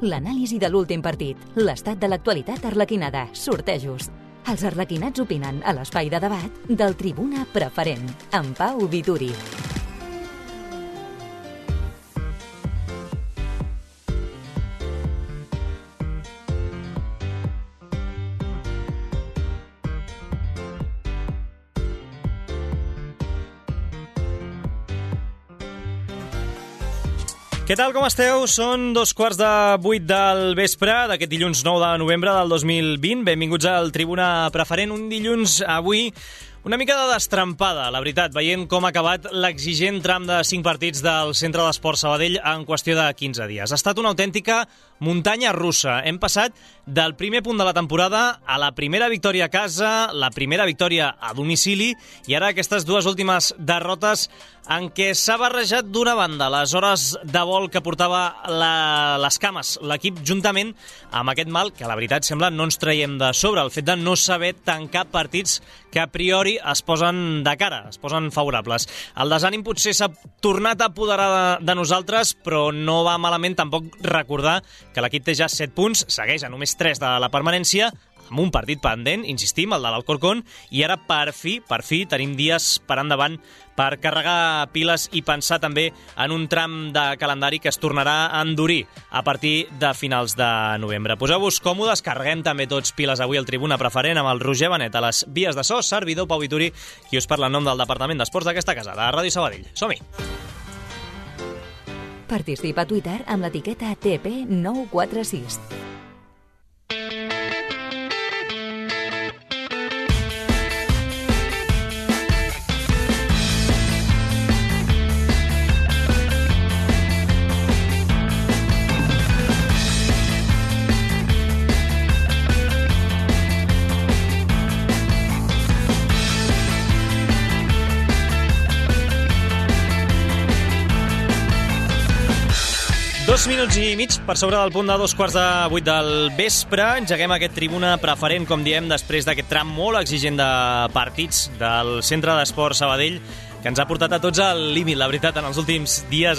L'anàlisi de l'últim partit, l'estat de l'actualitat arlequinada, sortejos. Els arlequinats opinen a l'espai de debat del Tribuna Preferent, amb Pau Vituri. Què tal, com esteu? Són 7:45 del vespre d'aquest dilluns 9 de novembre del 2020. Benvinguts al Tribuna Preferent, un dilluns avui una mica de destrampada, la veritat, veient com ha acabat l'exigent tram de 5 partits del Centre d'Esports Sabadell en qüestió de 15 dies. Ha estat una autèntica muntanya russa. Hem passat del primer punt de la temporada a la primera victòria a casa, la primera victòria a domicili i ara aquestes dues últimes derrotes en què s'ha barrejat d'una banda les hores de vol que portava les cames l'equip juntament amb aquest mal que la veritat sembla no ens traiem de sobre, el fet de no saber tancar partits que a priori es posen de cara, es posen favorables. El desànim potser s'ha tornat a apoderar de nosaltres, però no va malament tampoc recordar que l'equip té ja 7 punts, segueix a només 3 de la permanència, amb un partit pendent, insistim, el de l'Alcorcón, i ara per fi tenim dies per endavant per carregar piles i pensar també en un tram de calendari que es tornarà a endurir a partir de finals de novembre. Poseu-vos còmodes, carreguem també tots piles avui al Tribuna Preferent amb el Roger Benet a les vies de so, servidor Pau Vituri, qui us parla en nom del Departament d'Esports d'aquesta casa, de Ràdio Sabadell. Som-hi! Participa a Twitter amb l'etiqueta TP946. Dos minuts i mig per sobre del punt de 7:45 del vespre. Engeguem aquest Tribuna Preferent, com diem, després d'aquest tram molt exigent de partits del Centre d'Esports Sabadell, que ens ha portat a tots al límit, la veritat, en els últims dies,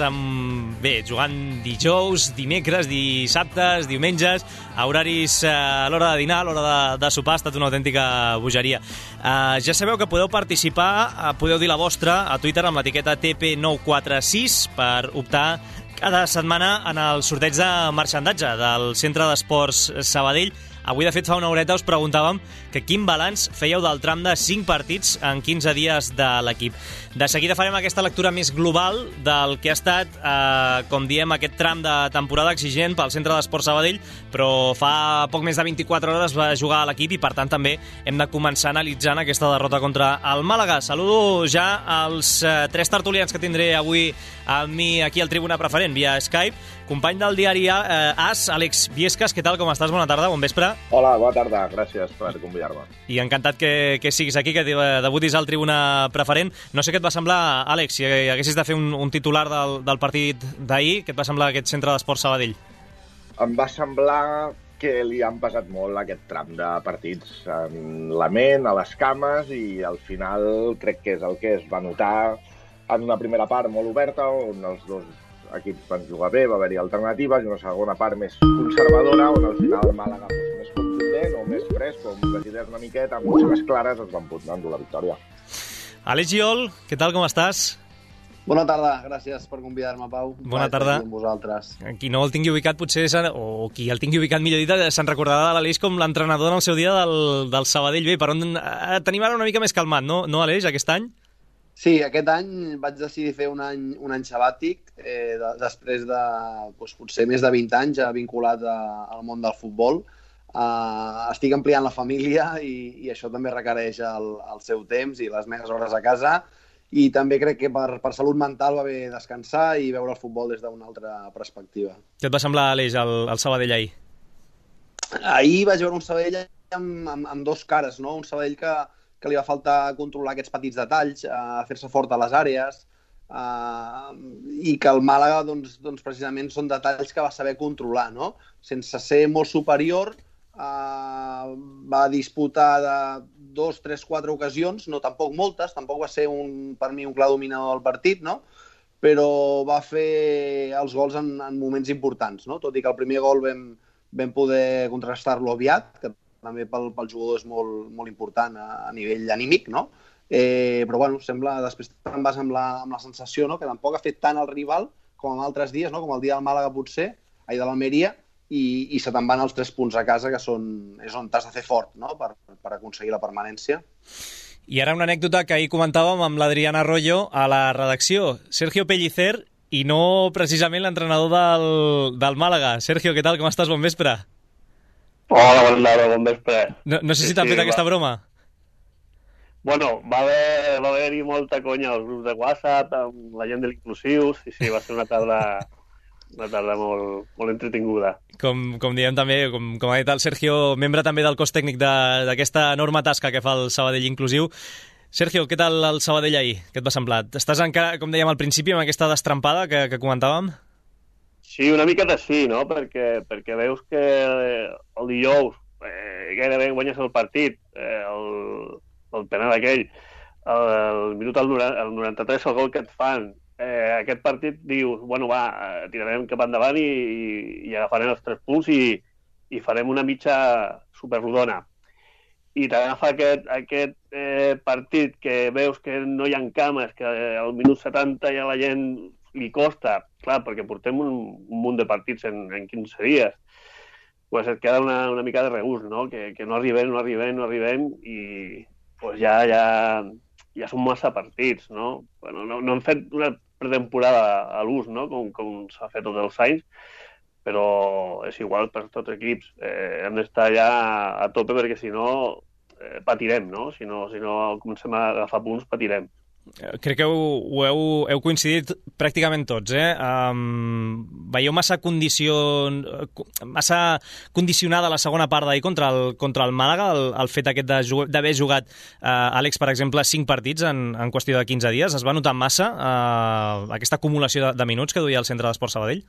jugant dijous, dimecres, dissabtes, diumenges, a horaris a l'hora de dinar, a l'hora de sopar, ha estat una autèntica bogeria. Ja sabeu que podeu participar, podeu dir la vostra a Twitter amb l'etiqueta TP946 per optar cada setmana en el sorteig de marxandatge del Centre d'Esports Sabadell. Avui, de fet, fa una horeta us preguntàvem que quin balanç fèieu del tram de 5 partits en 15 dies de l'equip. De seguida farem aquesta lectura més global del que ha estat, com diem, aquest tram de temporada exigent pel Centre d'Esports Sabadell, però fa poc més de 24 hores va jugar a l'equip i, per tant, també hem de començar analitzant aquesta derrota contra el Màlaga. Saludo ja als 3 tertulians que tindré avui amb mi aquí al Tribuna Preferent via Skype. Company del diari AS, Àlex Viescas, què tal, com estàs? Bona tarda, bon vespre. Hola, bona tarda, gràcies per convidar-me. I encantat que siguis aquí, que debutis al Tribuna Preferent. No sé què et va semblar, Àlex, si haguessis de fer un titular del partit d'ahir, què et va semblar aquest Centre d'Esports Sabadell? Em va semblar que li han pesat molt aquest tram de partits en la ment, a les cames, i al final crec que és el que es va notar en una primera part molt oberta, on els dos equips van jugar bé, va haver-hi alternatives, i una segona part més conservadora, on al final el Màlaga fos més contundent o més fresc, com decideix una miqueta, amb les clares es van poder endur la victòria. Àlex Giol, què tal, com estàs? Bona tarda, gràcies per convidar-me, Pau. Bona tarda. Amb vosaltres. Qui no el tingui ubicat, potser, o qui el tingui ubicat, millor dit, se'n recordarà de l'Aleix com l'entrenador en el seu dia del Sabadell. Bé, per on tenim ara una mica més calmat, no Aleix, aquest any? Sí, aquest any vaig decidir fer un any sabàtic, després de potser més de 20 anys vinculat al món del futbol. Estic ampliant la família i això també requereix el seu temps i les meves hores a casa, i també crec que per salut mental va bé descansar i veure el futbol des d'una altra perspectiva. Què et va semblar, Aleix, el Sabadell ahir? Ahir vaig veure un Sabadell amb dos cares, no? Un Sabadell que li va faltar controlar aquests petits detalls, fer-se fort a les àrees, i que el Màlaga, doncs, precisament, són detalls que va saber controlar, no? Sense ser molt superior, va disputar de 2, 3, 4 ocasions, no tampoc moltes, tampoc va ser per mi un clar dominador del partit, no? però va fer els gols en moments importants, no? Tot i que el primer gol vam poder contrastar-lo aviat, que també pel jugador és molt important a nivell anímic, no? Però bueno, sembla, després te'n vas amb la sensació, no? Que tampoc ha fet tant el rival com en altres dies, no? Com el dia del Màlaga potser, de l'Almeria, i se te'n van els 3 punts a casa, que és on t'has de fer fort, no? Per aconseguir la permanència. I ara una anècdota que ahir comentàvem amb l'Adrián Arroyo a la redacció. Sergio Pellicer, i no precisament l'entrenador del Màlaga. Sergio, què tal? Com estàs? Bon vespre. Hola, bon vespre. No sé si t'han fet aquesta broma. Bueno, va haver-hi molta conya als grups de WhatsApp, amb la gent de l'inclusiu. Sí, va ser una tarda molt entretinguda. Com diem també, com ha dit el Sergio, membre també del cos tècnic d'aquesta enorme tasca que fa el Sabadell Inclusiu. Sergio, què tal el Sabadell ahir? Què et va semblar? Estàs encara, com dèiem al principi, amb aquesta destrampada que comentàvem? Sí, una miqueta sí, no? Perquè veus que el dijous gairebé guanyes el partit, el penal aquell, el minut al 93 el gol que et fan, aquest partit dius, bueno, tirarem cap endavant i agafarem els 3 punts i farem una mitja superrodona. I t'agafa aquest partit que veus que no hi ha cames, que al minut 70 ja la gent li costa, clar, perquè portem un munt de partits en 15 dies, pues et queda una mica de regust, no? Que no arribem i pues ja són massa partits, no? Bueno, no hem fet una pretemporada a l'ús, no? Com s'ha fet tots els anys, però és igual per tots els equips. Hem d'estar ja a tope perquè si no patirem, no? Si no comencem a agafar punts, patirem. Crec que heu coincidit pràcticament tots, Veieu massa condicionada la segona part d'ahir contra el Màlaga, el fet aquest d'haver jugat Àlex, per exemple, 5 partits en qüestió de 15 dies. Es va notar massa aquesta acumulació de minuts que duia el Centre d'Esport Sabadell?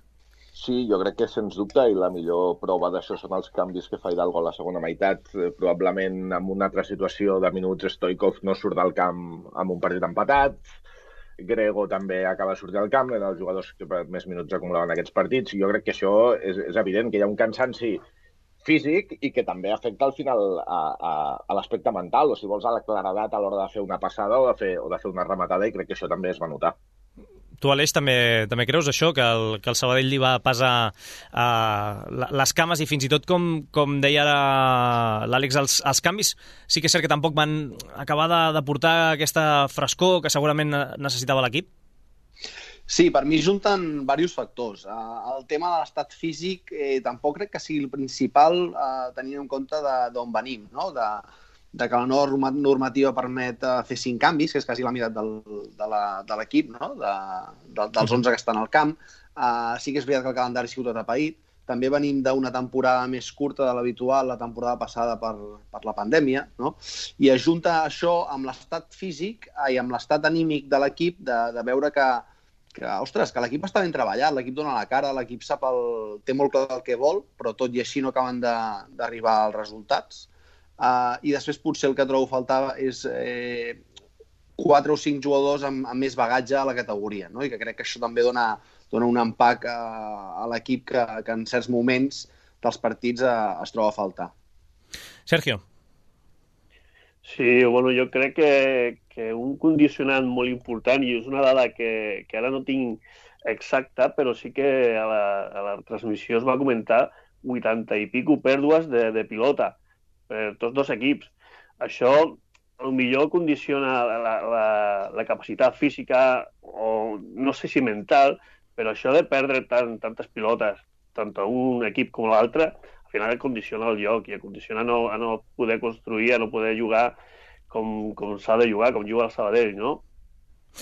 Sí, jo crec que sens dubte, i la millor prova d'això són els canvis que fa Hidalgo a la segona meitat. Probablement en una altra situació de minuts Stoikov no surt del camp amb un partit empatat. Grego també acaba de sortir del camp, eren els jugadors que més minuts acumulaven aquests partits. I jo crec que això és evident, que hi ha un cansanci físic i que també afecta al final a l'aspecte mental, o si vols a la claredat a l'hora de fer una passada o de fer una rematada, i crec que això també es va notar. Tu, Aleix, també creus això, que el Sabadell li va pesar les cames i fins i tot, com deia l'Àlex, els canvis sí que és cert que tampoc van acabar de portar aquesta frescor que segurament necessitava l'equip? Sí, per mi junten diversos factors. El tema de l'estat físic tampoc crec que sigui el principal tenint en compte d'on venim, no? De que la nova normativa permet fer 5 canvis, que és quasi la meitat de l'equip, no? Dels 11 que estan al camp. Sí que és veritat que el calendari ha sigut atapeït. També venim d'una temporada més curta de l'habitual, la temporada passada per la pandèmia, no? I ajunta això amb l'estat físic i amb l'estat anímic de l'equip, de veure que l'equip està ben treballat, l'equip dona la cara, l'equip té molt clar el que vol, però tot i així no acaben d'arribar als resultats. I després potser el que trobo faltava és 4 o 5 jugadors amb més bagatge a la categoria, no? I que crec que això també dona un empac a l'equip que en certs moments dels partits es troba a faltar. Sergio. Sí, bueno, jo crec que un condicionant molt important, i és una dada que ara no tinc exacta, però sí que a la transmissió es va comentar 80 i pico pèrdues de pilota per tots 2 equips. Això potser condiciona la capacitat física o no sé si mental, però això de perdre tantes pilotes, tant a un equip com a l'altre, al final condiciona el joc i el condiciona a no poder construir, a no poder jugar com s'ha de jugar, com juga el Sabadell, no?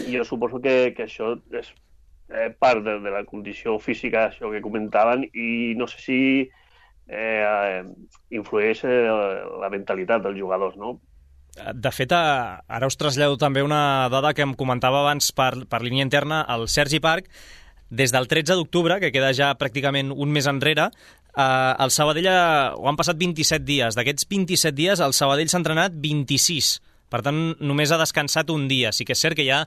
I jo suposo que això és part de la condició física, això que comentaven, i no sé si influeix la mentalitat dels jugadors, no? De fet, ara us trasllado també una dada que em comentava abans per línia interna el Sergi Parc. Des del 13 d'octubre, que queda ja pràcticament un mes enrere, el Sabadell han passat 27 dies. D'aquests 27 dies, el Sabadell s'ha entrenat 26 per tant només ha descansat un dia. Sí que és cert que hi ha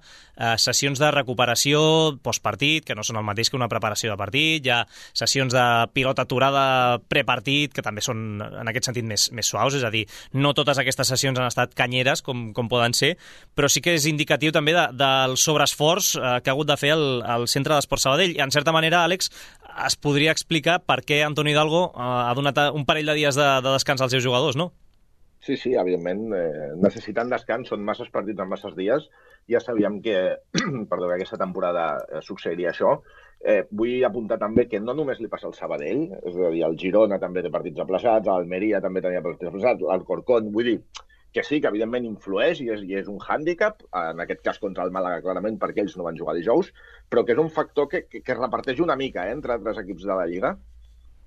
sessions de recuperació postpartit, que no són el mateix que una preparació de partit, hi ha sessions de pilota aturada prepartit, que també són en aquest sentit més suaus, és a dir, no totes aquestes sessions han estat canyeres, com poden ser, però sí que és indicatiu també del sobreesforç que ha hagut de fer el Centre d'Esport Sabadell. I en certa manera, Àlex, es podria explicar per què Antonio Hidalgo ha donat un parell de dies de descans als seus jugadors, no? Sí, evidentment, necessitant descans, són masses partits en masses dies. Ja sabíem que, que aquesta temporada succeiria això. Vull apuntar també que no només li passa al Sabadell, és a dir, el Girona també té partits aplaçats, l'Almeria també tenia partits aplaçats, l'Alcorcón, vull dir que sí, que evidentment influeix i és un hàndicap, en aquest cas contra el Màlaga clarament, perquè ells no van jugar dijous, però que és un factor que es reparteix una mica entre altres equips de la Lliga.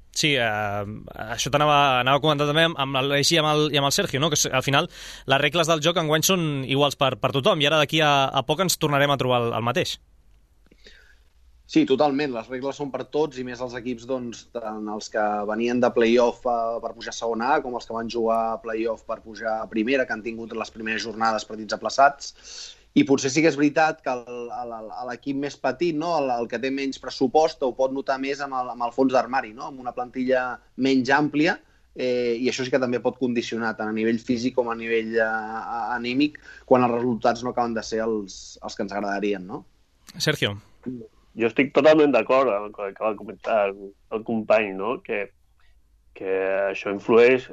Sí, això t'anava a comentar també amb l'Aleix i amb el Sergio, no? Que al final les regles del joc enguany són iguals per tothom i ara d'aquí a poc ens tornarem a trobar el mateix. Sí, totalment. Les regles són per tots i més els equips, doncs, tant els que venien de play-off per pujar a segona A com els que van jugar a play-off per pujar a primera, que han tingut les primeres jornades partits aplaçats. I potser sí que és veritat que l'equip més petit, no? el que té menys pressupost, ho pot notar més amb el fons d'armari, no? Amb una plantilla menys àmplia, i això sí que també pot condicionar tant a nivell físic com a nivell anímic quan els resultats no acaben de ser els que ens agradarien, no? Sergio. Jo estic totalment d'acord amb el que acaba de comentar el company, no? Que això influeix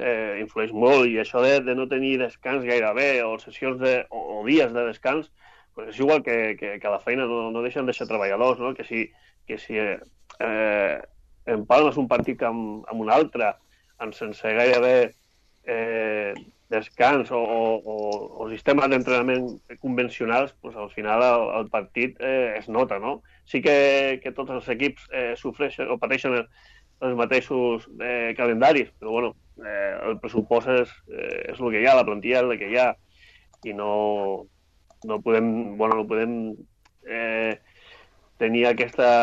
molt, i això de no tenir descans gairebé o sessions o dies de descans, pues és igual que a la feina no deixen de ser treballadors, no? Que si empalmes un partit amb un altre sense gairebé descans o sistemes d'entrenament convencionals, pues al final el partit es nota, no? Sí que tots els equips sofreixen o pateixen els mateixos calendaris, però bueno, el pressupost és el que hi ha, la plantilla és el que hi ha, i no podem tenir aquesta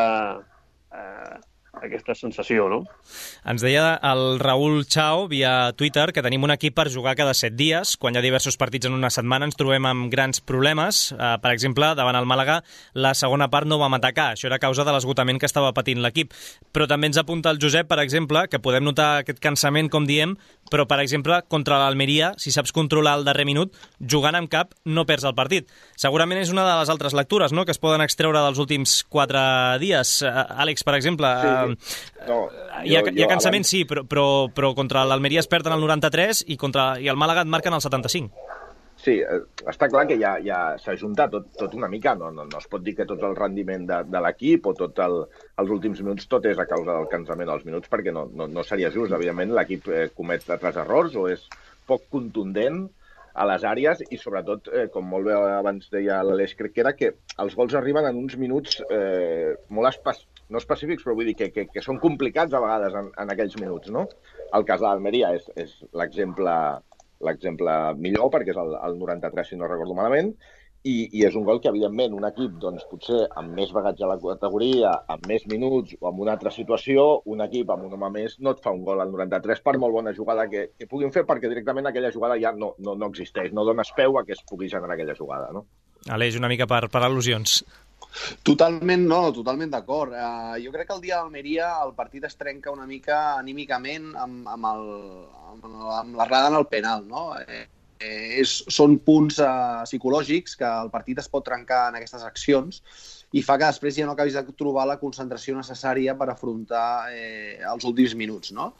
sensació, no? Ens deia el Raül Chao via Twitter que tenim un equip per jugar cada 7 dies. Quan hi ha diversos partits en una setmana ens trobem amb grans problemes. Per exemple, davant el Màlaga, la segona part no vam atacar. Això era a causa de l'esgotament que estava patint l'equip. Però també ens apunta el Josep, per exemple, que podem notar aquest cansament, com diem, però, per exemple, contra l'Almeria, si saps controlar el darrer minut, jugant amb cap no perds el partit. Segurament és una de les altres lectures, no?, que es poden extreure dels últims 4 dies. Àlex, per exemple... Sí. No, hi ha cansament, sí, però contra l'Almeria es perden el 93 i el Màlaga et marquen el 75. Sí, està clar que ja s'ha ajuntat tot una mica. No es pot dir que tot el rendiment de l'equip o tot els últims minuts tot és a causa del cansament als minuts, perquè no seria just. Evidentment, l'equip comet altres errors o és poc contundent a les àrees i, sobretot, com molt bé abans deia l'Aleix, crec que era que els gols arriben en uns minuts molt no específics, però vull dir que són complicats a vegades en aquells minuts, no? El cas de l'Almeria és l'exemple millor, perquè és el 93, si no recordo malament, i és un gol que, evidentment, un equip, doncs, potser amb més bagatge a la categoria, amb més minuts o amb una altra situació, un equip amb un home més no et fa un gol al 93 per molt bona jugada que puguin fer, perquè directament aquella jugada ja no existeix, no dones peu a que es pugui generar aquella jugada, no? Aleix, una mica per al·lusions. Totalment d'acord. Jo crec que el dia d'Almeria el partit es trenca una mica anímicament amb l'errada en el penal, no? Són punts psicològics que el partit es pot trencar en aquestes accions i fa que després ja no acabis de trobar la concentració necessària per afrontar els últims minuts, no?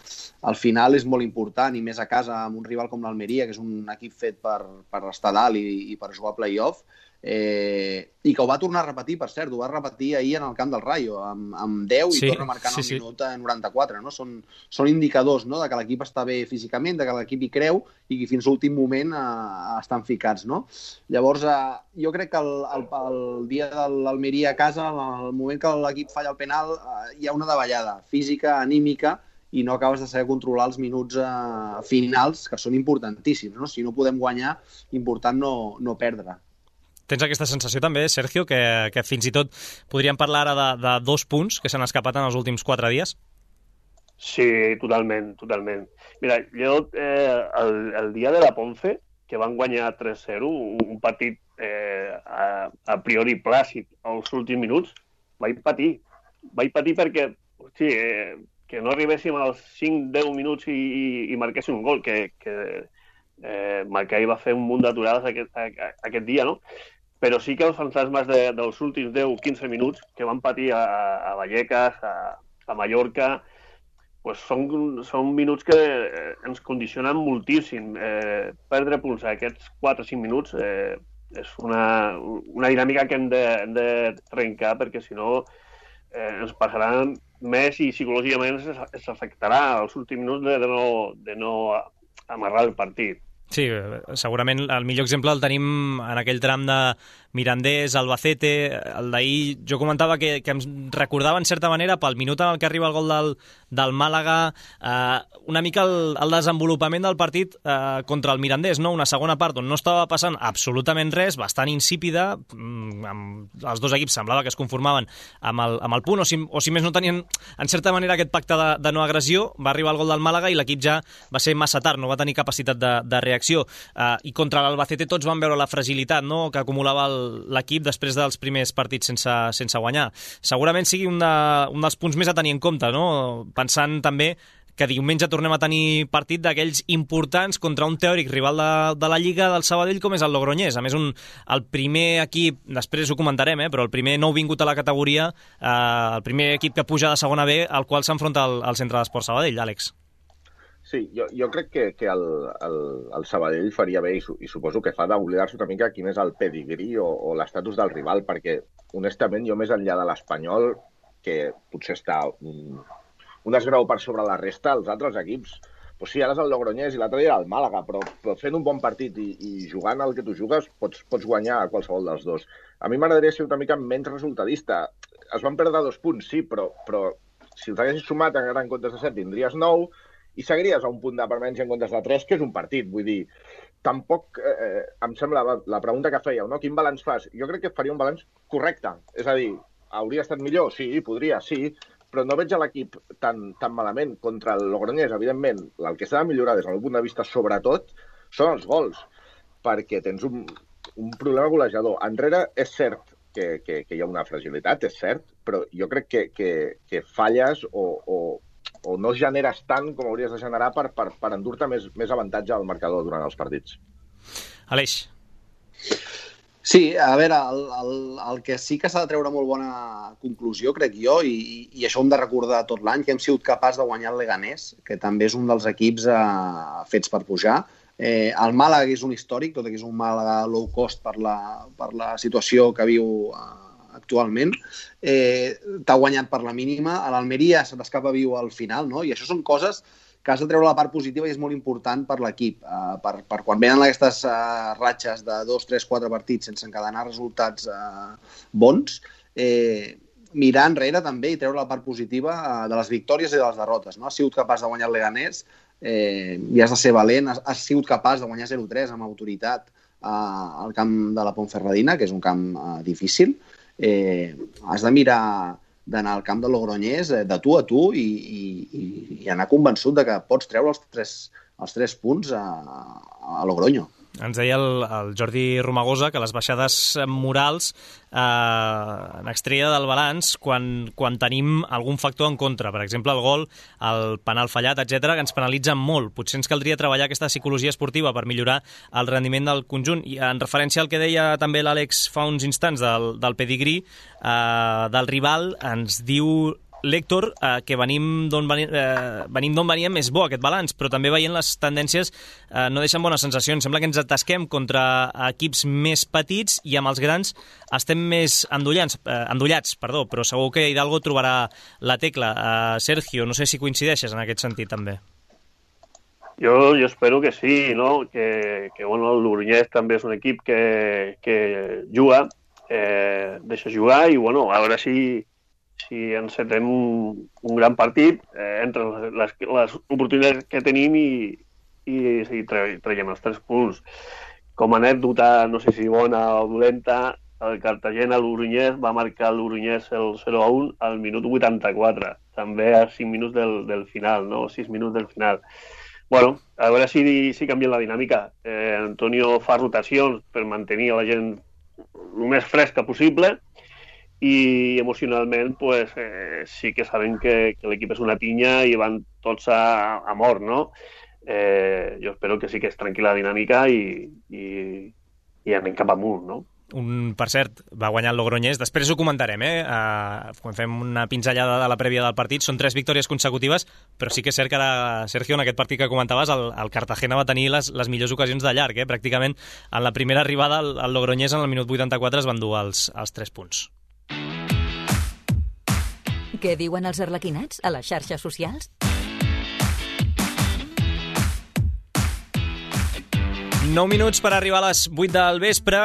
Al final és molt important, i més a casa amb un rival com l'Almeria, que és un equip fet per estar dalt i per jugar a play-off, i que ho va tornar a repetir, per cert, ho va repetir ahir en el camp del Rayo, amb 10 i torna marcant el minut 94, no? Són indicadors, no?, de que l'equip està bé físicament, de que l'equip hi creu i que fins a l'últim moment estan ficats, no? Llavors, jo crec que el dia de l'Almeria a casa, el moment que l'equip falla el penal, hi ha una davallada física, anímica, i no acabes de saber controlar els minuts finals, que són importantíssims, no? Si no podem guanyar, important no perdre. Tens aquesta sensació també, Sergio, que fins i tot podríem parlar ara de 2 punts que s'han escapat en els últims 4 dies? Sí, totalment. Mira, jo el dia de la Ponce que van guanyar 3-0, un partit a priori plàcid als últims minuts, vaig patir perquè que no arribéssim als 5-10 minuts i marquéssim un gol, que Maccabi va fer un munt d'aturades aquest dia, no? Però sí que els fantasmes dels últims 10-15 minuts que van patir a Vallecas, a Mallorca, pues són minuts que ens condicionen moltíssim. Perdre punts a aquests 4-5 minuts és una dinàmica que hem de trencar, perquè si no ens passaran més i psicològicament ens afectarà als últims minuts de no amarrar el partit. Sí, segurament el millor exemple el tenim en aquell tram de Mirandés, Albacete. El d'ahir jo comentava que em recordava en certa manera pel minut en el que arriba el gol del Màlaga una mica el desenvolupament del partit contra el Mirandés, no? Una segona part on no estava passant absolutament res, bastant insípida, els dos equips semblava que es conformaven amb el punt, o si més no tenien en certa manera aquest pacte de no agressió. Va arribar el gol del Màlaga i l'equip ja va ser massa tard, no va tenir capacitat de reacció, i contra l'Albacete tots van veure la fragilitat, no?, que acumulava l'equip després dels primers partits sense guanyar. Segurament sigui un dels punts més a tenir en compte, no?, pensant també que diumenge tornem a tenir partit d'aquells importants contra un teòric rival de la Lliga del Sabadell com és el Logroñés. A més, el primer equip, després ho comentarem, però el primer nou vingut a la categoria, el primer equip que puja de segona B, al qual s'enfronta al Centre d'Esport Sabadell, Àlex. Sí, jo crec que el Sabadell faria bé, i suposo que fa d'oblidar-se una mica quin és el pedigrí o l'estatus del rival, perquè, honestament, jo més enllà de l'Espanyol, que potser està un desgrau per sobre la resta, els altres equips, doncs sí, ara és el Logroñés i l'altre dia era el Màlaga, però fent un bon partit i jugant el que tu jugues, pots guanyar a qualsevol dels dos. A mi m'agradaria ser una mica menys resultadista. Es van perdre 2 punts, sí, però si els haguessis sumat encara en comptes de 7, tindries 9, i seguiries a un punt de permanència en comptes de 3, que és un partit. Vull dir, tampoc em sembla la pregunta que fèieu, no? Quin balanç fas? Jo crec que faria un balanç correcte. És a dir, hauria estat millor? Sí, podria, sí, però no veig a l'equip tan malament. Contra el Logroñés, evidentment, el que s'ha de millorar des del meu punt de vista, sobretot, són els gols, perquè tens un problema golejador. Enrere és cert que hi ha una fragilitat, és cert, però jo crec que falles o no generes tant com hauries de generar per endur-te més avantatge al marcador durant els partits. Aleix. Sí, a veure, el que sí que s'ha de treure molt bona conclusió, crec jo, i això ho hem de recordar tot l'any, que hem sigut capaç de guanyar el Leganés, que també és un dels equips fets per pujar. El Màlaga és un històric, tot i que és un Màlaga low cost per la situació que viu actualment. T'ha guanyat per la mínima. A l'Almeria se t'escapa viu al final, no? I això són coses que has de treure la part positiva i és molt important per l'equip. Per quan venen aquestes ratxes de 2, 3, 4 partits sense encadenar resultats bons, mirar enrere també i treure la part positiva de les victòries i de les derrotes. No? Has sigut capaç de guanyar el Leganés i has de ser valent. Has sigut capaç de guanyar 0-3 amb autoritat al camp de la Ponferradina, que és un camp difícil. Has de mirar d'anar al camp de Logroñés de tu a tu i anar convençut de que pots treure els 3 punts a Logroño. Ens deia el Jordi Romagosa que les baixades morals en extreia del balanç quan tenim algun factor en contra. Per exemple, el gol, el penal fallat, etc, que ens penalitzen molt. Potser ens caldria treballar aquesta psicologia esportiva per millorar el rendiment del conjunt. I en referència al que deia també l'Àlex fa uns instants del pedigrí del rival, ens diu l'Héctor que venim d'on veníem és bo aquest balanç, però també veient les tendències no deixen bones sensacions. Sembla que ens atasquem contra equips més petits i amb els grans estem més endollats, però segur que Hidalgo trobarà la tecla. Sergio, no sé si coincideixes en aquest sentit també. Jo espero que sí, no? Que bueno, el Logroñés també és un equip que juga, deixa jugar i bueno, a veure si encetem un gran partit entre les oportunitats que tenim i traiem els 3 punts. Com a anècdota, no sé si bona o dolenta, el Cartagena-Logroñés va marcar el Logroñés el 0-1 al minut 84, també a 5 minuts del final, no? 6 minuts del final. Bueno, a veure si canvia la dinàmica. Antonio fa rotacions per mantenir la gent el més fresca possible i emocionalment pues, sí que sabem que l'equip és una pinya i van tots a mort, no? Jo espero que sí que és tranquil·la la dinàmica i anem cap amunt, no? Per cert, va guanyar el Logroñés. Després ho comentarem, quan fem una pinzellada de la prèvia del partit. Són 3 victòries consecutives, però sí que és cert que ara, Sergio, en aquest partit que comentaves, el Cartagena va tenir les millors ocasions de llarg. Pràcticament en la primera arribada el Logroñés en el minut 84 es van dur els 3 punts. Què diuen els arlequinats a les xarxes socials? Nou minuts per arribar a les 8 del vespre.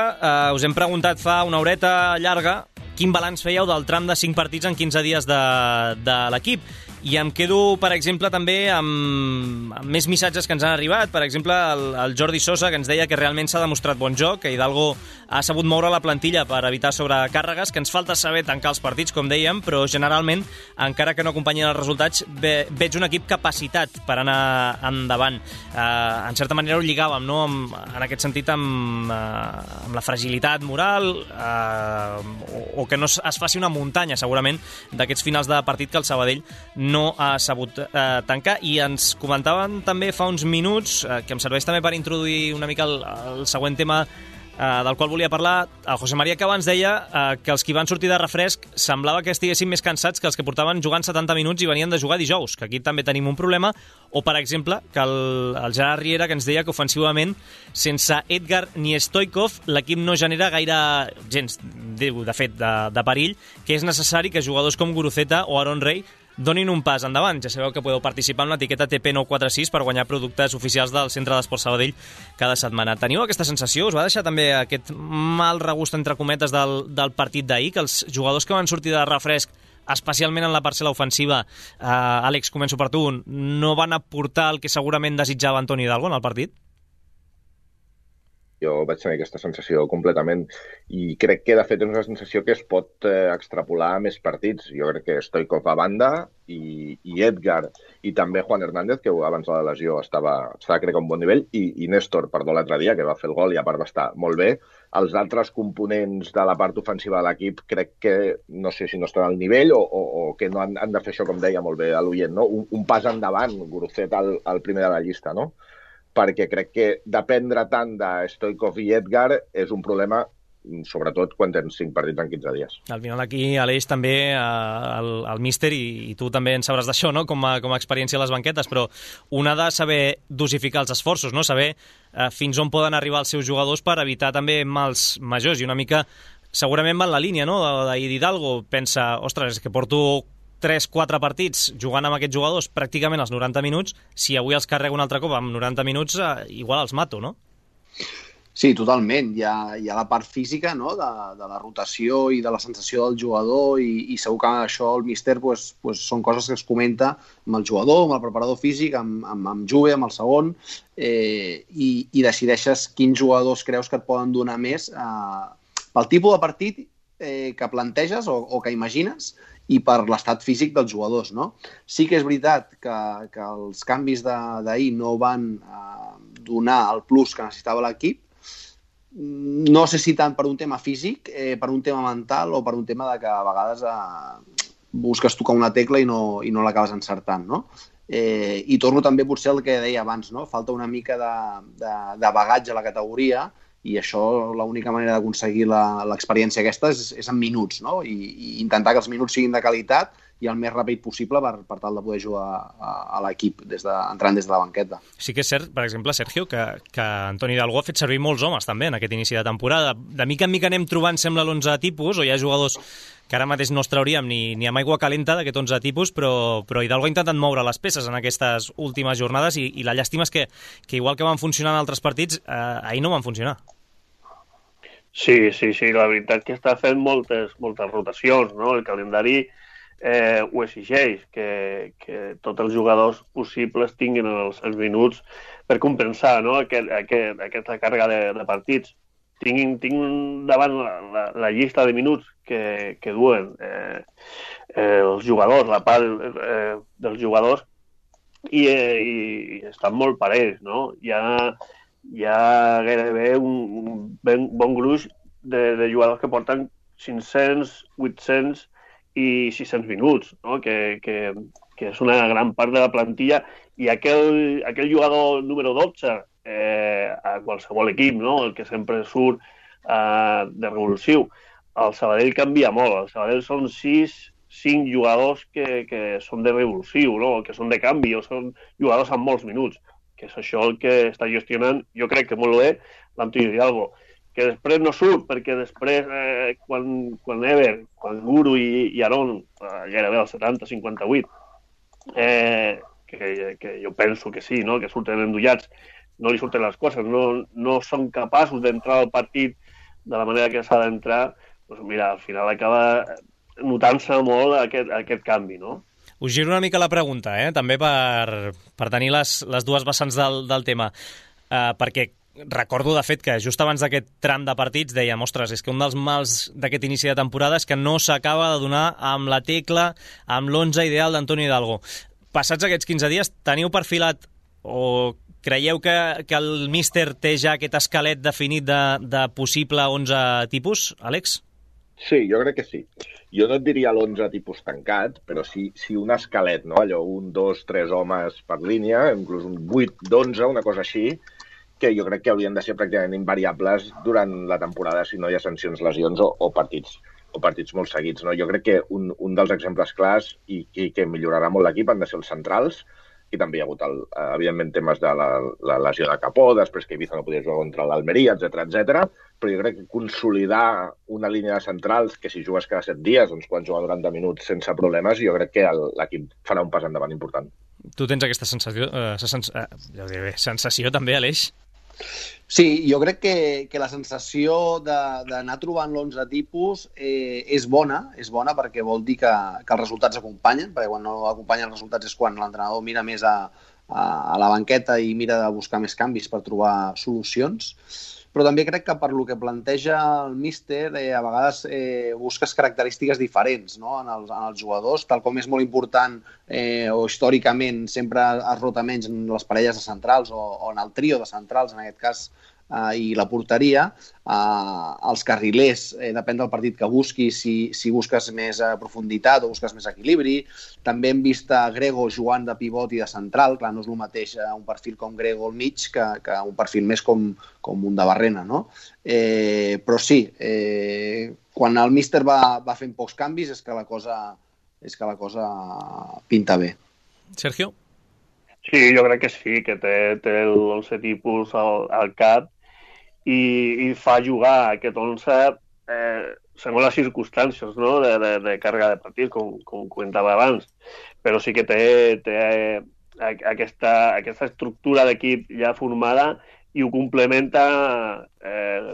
Us hem preguntat fa una horeta llarga quin balanç fèieu del tram de 5 partits en 15 dies de l'equip. I em quedo, per exemple, també amb més missatges que ens han arribat. Per exemple, el Jordi Sosa, que ens deia que realment s'ha demostrat bon joc, que Hidalgo ha sabut moure la plantilla per evitar sobrecàrregues, que ens falta saber tancar els partits, com dèiem, però generalment, encara que no acompanyin els resultats, veig un equip capacitat per anar endavant. En certa manera ho lligàvem, no? En aquest sentit, amb la fragilitat moral, o que no es faci una muntanya, segurament, d'aquests finals de partit que el Sabadell no ha sabut tancar. I ens comentaven també fa uns minuts, que em serveix també per introduir una mica el següent tema del qual volia parlar, el José María Cava ens deia que els que van sortir de refresc semblava que estiguessin més cansats que els que portaven jugant 70 minuts i venien de jugar dijous, que aquí també tenim un problema. O, per exemple, que el Gerard Riera, que ens deia que ofensivament, sense Edgar ni Stoikov, l'equip no genera gaire gens, de fet, de perill, que és necessari que jugadors com Guruceta o Aaron Rey donin un pas endavant. Ja sabeu que podeu participar en l'etiqueta TP946 per guanyar productes oficials del Centre d'Esport Sabadell cada setmana. Teniu aquesta sensació? Us va deixar també aquest mal regust, entre cometes, del partit d'ahir, que els jugadors que van sortir de refresc, especialment en la parcel·la ofensiva, Àlex, començo per tu, no van aportar el que segurament desitjava Antoni Hidalgo en el partit? Jo vaig tenir aquesta sensació completament i crec que, de fet, és una sensació que es pot extrapolar a més partits. Jo crec que Stoikov a banda i Edgar i també Juan Hernández, que abans de la lesió estava crec, a un bon nivell, i Néstor, perdó, l'altre dia, que va fer el gol i a part va estar molt bé. Els altres components de la part ofensiva de l'equip crec que, no sé si no estan al nivell o que no han de fer això, com deia molt bé l'oient, no? Un pas endavant, Guruceta al primer de la llista, no? Perquè crec que dependre tant de Stoikov i Edgar és un problema, sobretot quan tens 5 partits en 15 dies. Al final aquí, Aleix, també el míster, i tu també en sabràs d'això, no? com a experiència a les banquetes, però un ha de saber dosificar els esforços, no? Saber fins on poden arribar els seus jugadors per evitar també mals majors, i una mica segurament va en la línia, no? D'Hidalgo pensa, ostres, és que porto 3-4 partits jugant amb aquests jugadors pràcticament els 90 minuts, si avui els carrego un altre cop amb 90 minuts, igual els mato, no? Sí, totalment. Hi ha la part física, no? de la rotació i de la sensació del jugador, i segur que això el míster són coses que es comenta amb el jugador, amb el preparador físic, amb Juve, amb el segon, i decideixes quins jugadors creus que et poden donar més pel tipus de partit que planteges o que imagines, i per l'estat físic dels jugadors, no? Sí que és veritat que els canvis d'ahir no van donar el plus que necessitava l'equip. No sé si tant per un tema físic, per un tema mental o per un tema de que a vegades busques tocar una tecla i no l'acabes encertant, no? I torno també potser al que deia abans, no? Falta una mica de bagatge a la categoria, i això, l'única manera d'aconseguir l'experiència aquesta és en minuts, no? I intentar que els minuts siguin de qualitat i el més ràpid possible per tal de poder jugar a l'equip entrant des de la banqueta. Sí que és cert, per exemple, Sergio, que Antoni Hidalgo ha fet servir molts homes també en aquest inici de temporada. De mica en mica anem trobant, sembla, l'11 tipus, o hi ha jugadors que ara mateix no els trauríem ni amb aigua calenta d'aquest 11 tipus, però Hidalgo ha intentat moure les peces en aquestes últimes jornades, i la llàstima és que igual que van funcionar en altres partits, ahir no van funcionar. Sí, la veritat que està fent moltes rotacions, no? El calendari ho exigeix, que tots els jugadors possibles tinguin els minuts per compensar, no? Aquesta càrrega de partits. Tinc davant la llista de minuts que duen els jugadors, la part dels jugadors, i estan molt parells, no? Hi ha gairebé un bon gruix de jugadors que porten 500, 800 i 600 minuts, no? Que és una gran part de la plantilla, i aquell jugador número 12 a qualsevol equip, no? El que sempre surt de revulsiu, el Sabadell canvia molt. El Sabadell són 5 jugadors que són de revulsiu, no? Que són de canvi, o són jugadors amb molts minuts, que és això el que està gestionant, jo crec que molt bé, l'Antoni Hidalgo, que després no surt, perquè després, quan Ever, quan Guru i Aron, gairebé als 70-58, que jo penso que sí, no? Que surten endollats, no li surten les coses, no són capaços d'entrar al partit de la manera que s'ha d'entrar, doncs mira, al final acaba notant-se molt aquest canvi, no? Us giro una mica la pregunta, també per tenir les dues vessants del tema, perquè recordo, de fet, que just abans d'aquest tram de partits dèiem, ostres, és que un dels mals d'aquest inici de temporada és que no s'acaba de donar amb la tecla, amb l'11 ideal d'Antoni Hidalgo. Passats aquests 15 dies, teniu perfilat o creieu que el míster té ja aquest esquelet definit de possible 11 tipus, Àlex? Sí, jo crec que sí. Jo no et diria l'11 tipus tancat, però sí un esquelet, no? Allò, 1, 2, 3 homes per línia, inclús un 8 d'11, una cosa així, que jo crec que haurien de ser pràcticament invariables durant la temporada si no hi ha sancions, lesions o partits molt seguits, no? Jo crec que un dels exemples clars i que millorarà molt l'equip han de ser els centrals, i també hi ha hagut, evidentment, temes de la lesió de Capó, després que Ibiza no podia jugar contra l'Almeria, etc. Però jo crec que consolidar una línia de centrals que si jugues cada 7 dies, doncs poden jugar 90 minuts sense problemes, jo crec que l'equip farà un pas endavant important. Tu tens aquesta sensació també, Aleix? Sí, jo crec que la sensació d'anar trobant l'11 tipus és bona perquè vol dir que els resultats acompanyen, perquè quan no acompanyen els resultats és quan l'entrenador mira més a la banqueta i mira de buscar més canvis per trobar solucions. Però també crec que per lo que planteja el míster, a vegades busques característiques diferents, no? en els jugadors, tal com és molt important o històricament sempre es rota menys en les parelles de centrals o en el trio de centrals, en aquest cas, i la porteria, els carrilers, depèn del partit que busquis, si busques més profunditat o busques més equilibri. També hem vist a Grego jugant de pivot i de central, clar, no és el mateix un perfil com Grego al mig que un perfil més com un de Barrena, no? Però sí, quan el míster va fent pocs canvis és que la cosa pinta bé. Sergio? Sí, jo crec que sí, que té l'11 tipus al cap i fa jugar aquest 11 segons les circumstàncies, no? de càrrega de partit, com comentava abans. Però sí que té aquesta estructura d'equip ja formada i ho complementa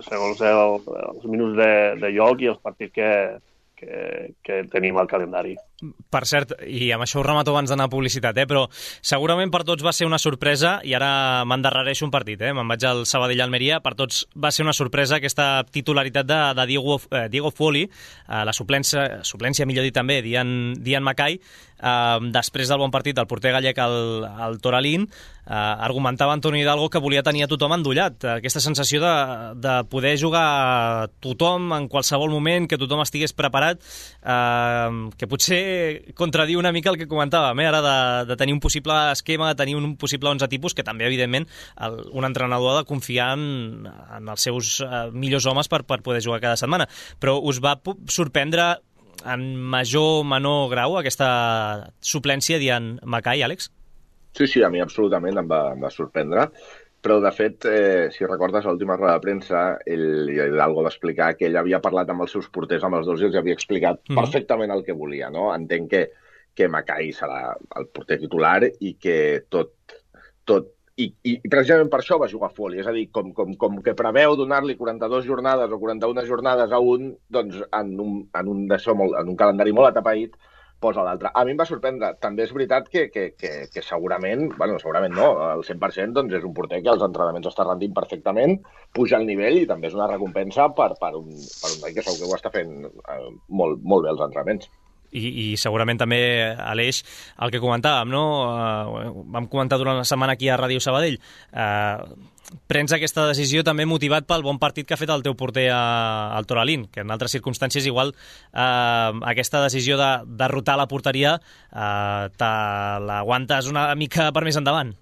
segons els minuts de joc i els partits que tenim al calendari. Per cert, i amb això ho remato abans d'anar a publicitat, però segurament per tots va ser una sorpresa, i ara m'endarrereixo un partit, me'n vaig al Sabadell-Almeria, per tots va ser una sorpresa aquesta titularitat de Diego Folli, la suplència, millor dit també, d'Ian Mackay, després del bon partit del porter gallec al Toralín, argumentava Antoni Hidalgo que volia tenir a tothom endollat, aquesta sensació de poder jugar tothom en qualsevol moment, que tothom estigués preparat, que potser contradiu una mica el que comentàvem, ara de tenir un possible esquema, de tenir un possible 11 tipus, que també, evidentment, un entrenador ha de confiar en els seus millors homes per poder jugar cada setmana. Però us va sorprendre en major o menor grau aquesta suplència d'Ian Mackay, Àlex? Sí, a mi absolutament em va sorprendre. Però, de fet, si recordes l'última roda de premsa, Hidalgo va explicar que ell havia parlat amb els seus porters, amb els dos, i els havia explicat perfectament el que volia, no? Entenc que Mackay serà el porter titular i que I precisament per això va jugar Folli, és a dir, com que preveu donar-li 42 jornades o 41 jornades a un, doncs en un calendari molt atapeït, posa l'altre. A mi em va sorprendre. També és veritat que segurament no, al 100%, doncs és un porter que als entrenaments està rendint perfectament, puja el nivell i també és una recompensa per un noi que segur que ho està fent molt bé als entrenaments. i segurament també, Aleix, el que comentàvem, no? Vam comentar durant la setmana aquí a Ràdio Sabadell. Prens aquesta decisió també motivat pel bon partit que ha fet el teu porter al Toralín, que en altres circumstàncies igual aquesta decisió de derrotar la porteria te l'aguantes una mica per més endavant.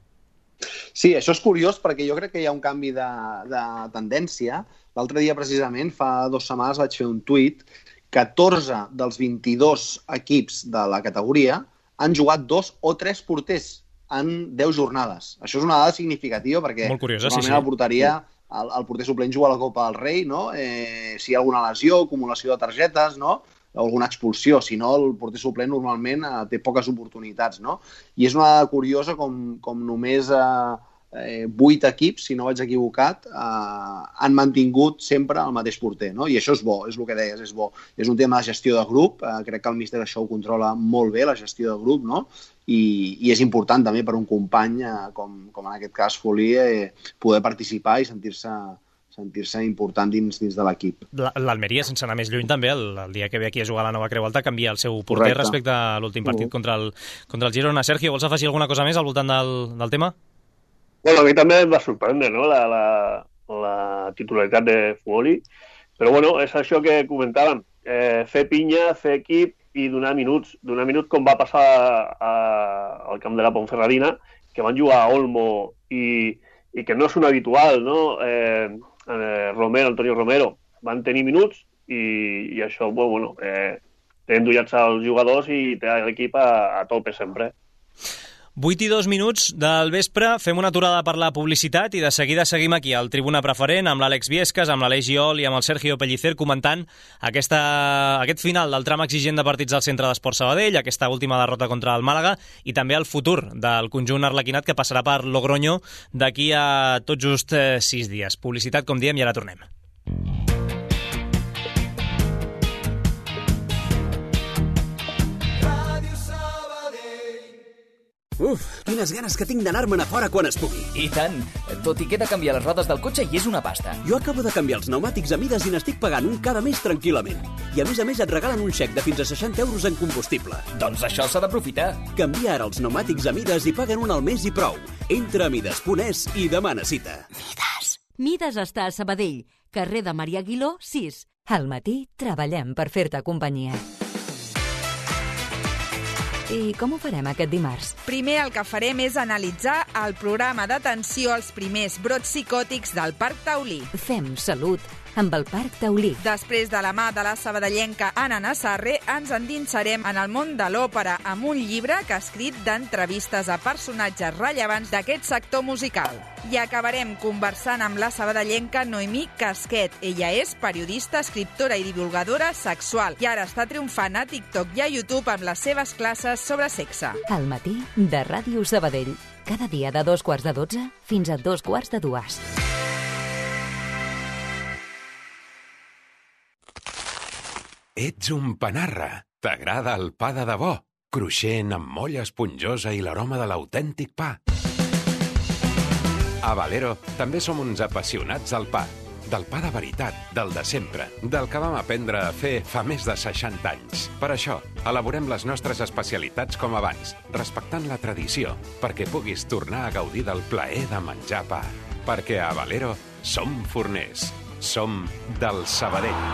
Sí, això és curiós perquè jo crec que hi ha un canvi de tendència. L'altre dia, precisament, fa 2 setmanes vaig fer un tuit. 14 dels 22 equips de la categoria han jugat 2 o 3 porters en 10 jornades. Això és una dada significativa perquè normalment a la porteria el porter suplent juga a la Copa del Rei, no? Si hi ha alguna lesió, acumulació de targetes, no? Alguna expulsió, si no el porter suplent normalment té poques oportunitats, no? I és una dada curiosa com només 8 equips, si no vaig equivocat, han mantingut sempre el mateix porter, no? I això és bo, és el que deies, és bo. És un tema de gestió de grup, crec que el míster això ho controla molt bé, la gestió de grup, no? I és important també per un company, com en aquest cas Folí, poder participar i sentir-se important dins de l'equip. L'Almeria, sense anar més lluny també, el dia que ve aquí a jugar a la Nova Creu Alta, canvia el seu porter respecte a l'últim partit contra el Girona. Sergio, vols afegir alguna cosa més al voltant del tema? Bueno, a mi també em va sorprendre, no?, la titularitat de Folí, però bueno, és això que comentàvem, fer pinya, fer equip i donar minuts com va passar al camp de la Ponferradina, que van jugar a Olmo i que no és un habitual, no? Antonio Romero van tenir minuts i això, bueno, té endullats els jugadors i té l'equip a tope sempre. 8 i 2 minuts del vespre, fem una aturada per la publicitat i de seguida seguim aquí al Tribuna Preferent amb l'Àlex Viescas, amb l'Aleix Giol i amb el Sergio Pellicer comentant aquest final del tram exigent de partits al Centre d'Esports Sabadell, aquesta última derrota contra el Màlaga i també el futur del conjunt arlequinat que passarà per Logroño d'aquí a tot just 6 dies. Publicitat, com diem, i ara tornem. Uf, quines ganes que tinc d'anar-me'n a fora quan es pugui. I tant, tot i que he de canviar les rodes del cotxe i és una pasta. Jo acabo de canviar els pneumàtics a mides i n'estic pagant un cada mes tranquil·lament. I a més et regalen un xec de fins a 60 euros en combustible. Doncs això s'ha d'aprofitar. Canvia ara els pneumàtics a mides i paguen un al mes i prou. Entra a mides.es i demana cita. Mides està a Sabadell, carrer de Maria Aguiló, 6. Al matí treballem per fer-te companyia. I com ho farem aquest dimarts? Primer el que farem és analitzar el programa d'atenció als primers brots psicòtics del Parc Taulí. Fem salut amb el Parc Taulí. Després de la mà de la sabadellenca Anna Nassarre, ens endinsarem en el món de l'òpera amb un llibre que ha escrit d'entrevistes a personatges rellevants d'aquest sector musical. I acabarem conversant amb la sabadellenca Noemí Casquet. Ella és periodista, escriptora i divulgadora sexual i ara està triomfant a TikTok i a YouTube amb les seves classes sobre sexe. Al matí de Ràdio Sabadell. Cada dia de 2:45 fins a 2:45. Ets un panarra. T'agrada el pa de debò? Cruixent, amb molla esponjosa i l'aroma de l'autèntic pa. A Valero també som uns apassionats del pa. Del pa de veritat, del de sempre, del que vam aprendre a fer fa més de 60 anys. Per això, elaborem les nostres especialitats com abans, respectant la tradició, perquè puguis tornar a gaudir del plaer de menjar pa. Perquè a Valero som forners. Som del Sabadell.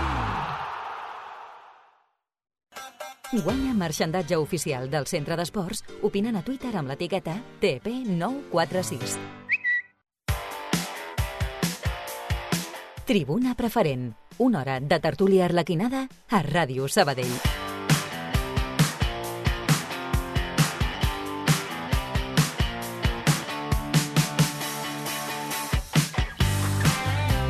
Guanya marxandatge oficial del Centre d'Esports opinant a Twitter amb l'etiqueta TP946. Tribuna Preferent. Una hora de tertúlia arlequinada a Ràdio Sabadell.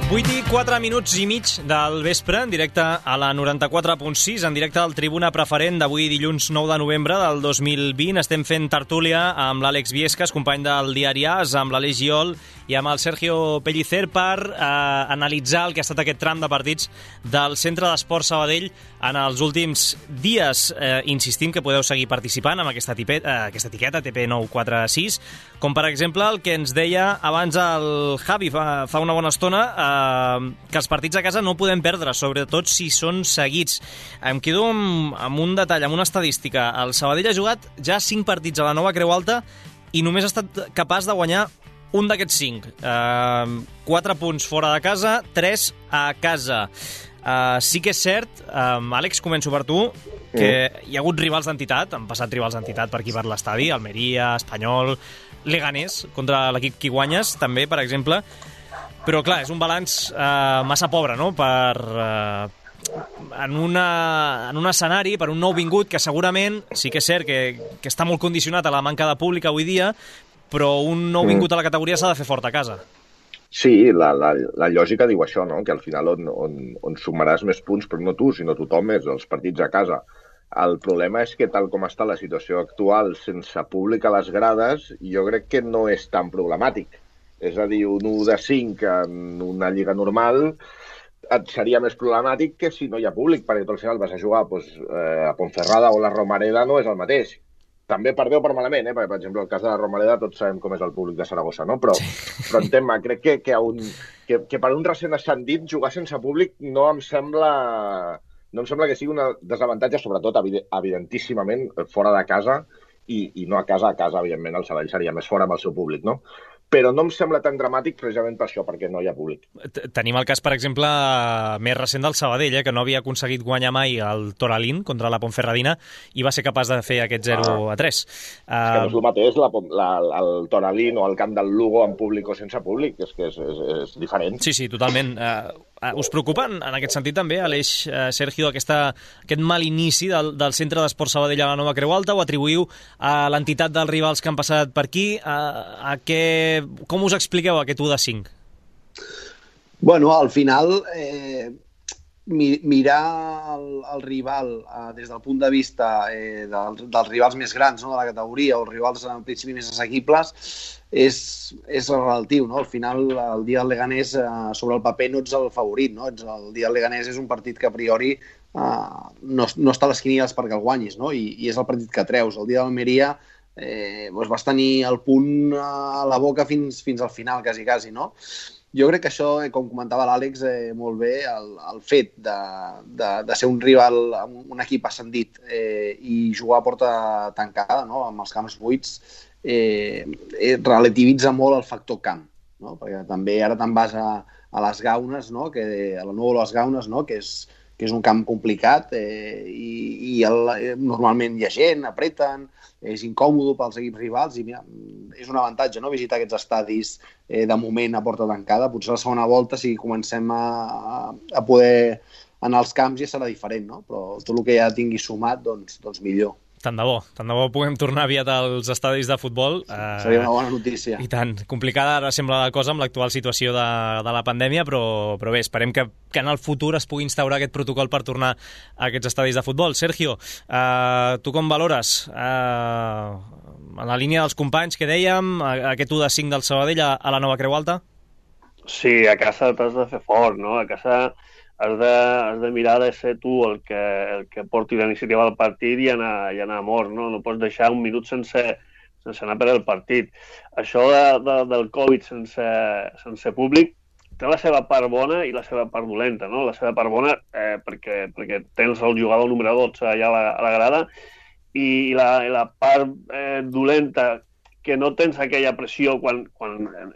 Vuit i 4 minuts i mig del vespre, en directe a la 94.6, en directe al Tribuna Preferent d'avui dilluns 9 de novembre del 2020. Estem fent tertúlia amb l'Àlex Viescas, company del diari AS, amb l'Aleix Giol i amb el Sergio Pellicer per analitzar el que ha estat aquest tram de partits del Centre d'Esport Sabadell en els últims dies. Insistim que podeu seguir participant amb aquesta etiqueta TP946, com per exemple el que ens deia abans el Javi fa una bona estona, que els partits a casa no podem perdre, sobretot si són seguits. Em quedo amb un detall, amb una estadística. El Sabadell ha jugat ja 5 partits a la Nova Creu Alta i només ha estat capaç de guanyar un d'aquests 5. 4 punts fora de casa, 3 a casa. Sí que és cert, Àlex, començo per tu, que hi ha hagut rivals d'entitat, han passat rivals d'entitat per aquí per l'estadi, Almeria, Espanyol, Leganés, contra l'equip que guanyes, també, per exemple. Però, clar, és un balanç massa pobre, no?, en un escenari, per un nou vingut que segurament sí que és cert que està molt condicionat a la manca de públic avui dia, però un nou vingut a la categoria s'ha de fer fort a casa. Sí, la lògica diu això, no? Que al final on sumaràs més punts, però no tu, sinó tothom, és els partits a casa. El problema és que tal com està la situació actual, sense públic a les grades, jo crec que no és tan problemàtic. És a dir, un 1 de 5 en una lliga normal et seria més problemàtic que si no hi ha públic, perquè tu al final vas a jugar a Ponferrada o la Romareda no és el mateix. També per bé o per malament, perquè, per exemple, el cas de la Romareda tots sabem com és el públic de Saragossa, no? Però entenc-me, crec que per un recent ascendit jugar sense públic no em sembla que sigui un desavantatge, sobretot, evidentíssimament, fora de casa, i no a casa, evidentment, el Sabadell seria més fora amb el seu públic, no? Però no em sembla tan dramàtic precisament per això, perquè no hi ha públic. Tenim el cas, per exemple, més recent del Sabadell, que no havia aconseguit guanyar mai el Toralín contra la Ponferradina i va ser capaç de fer aquest 0-3. És que no és el mateix el Toralín o el camp del Lugo amb públic o sense públic, és que és diferent. Sí, totalment. Us preocupa en aquest sentit també, Aleix, Sergio, aquest mal inici del Centre d'Esport Sabadell a la Nova Creu Alta, o atribuïu a l'entitat dels rivals que han passat per aquí? Com us expliqueu aquest 1 de 5? Bueno, al final, mirar el rival des del punt de vista dels rivals més grans, no?, de la categoria, o els rivals en principi més assequibles, és relatiu, no? Al final, el dia del Leganés, sobre el paper, no ets el favorit, no? El dia del Leganés és un partit que a priori no està a les quinieles perquè el guanyis, no? I és el partit que treus. El dia d'Almeria vas tenir el punt a la boca fins al final, quasi, no? Jo crec que això, com comentava l'Àlex molt bé, el fet de ser un rival, un equip ascendit i jugar a porta tancada, no?, amb els camps buits, relativitza molt el factor camp, no? Perquè també ara te'n vas a les Gaunes, no?, a la Núvol Les Gaunes, no?, que és un camp complicat i normalment hi ha gent, apreten, és incòmode pels equips rivals i mira, és un avantatge, no?, visitar aquests estadis de moment a porta tancada. Potser la segona volta, si comencem a poder anar als camps, ja serà diferent, no? Però tot el que ja tingui sumat, doncs millor. Tant de bo puguem tornar aviat als estadis de futbol. Seria una bona notícia. I tant. Complicada ara sembla la cosa amb l'actual situació de la pandèmia, però bé, esperem que en el futur es pugui instaurar aquest protocol per tornar a aquests estadis de futbol. Sergio, tu com valores en la línia dels companys que dèiem, aquest 1 de 5 del Sabadell a la Nova Creu Alta? Sí, a casa t'has de fer fort, no? A casa has de mirar de ser tu el que porti la iniciativa al partit i anar a mort, no? No pots deixar un minut sense anar per el partit. Això del Covid sense públic té la seva part bona i la seva part dolenta, no? La seva part bona perquè tens el jugador número 12 allà a la grada i la part dolenta, que no tens aquella pressió quan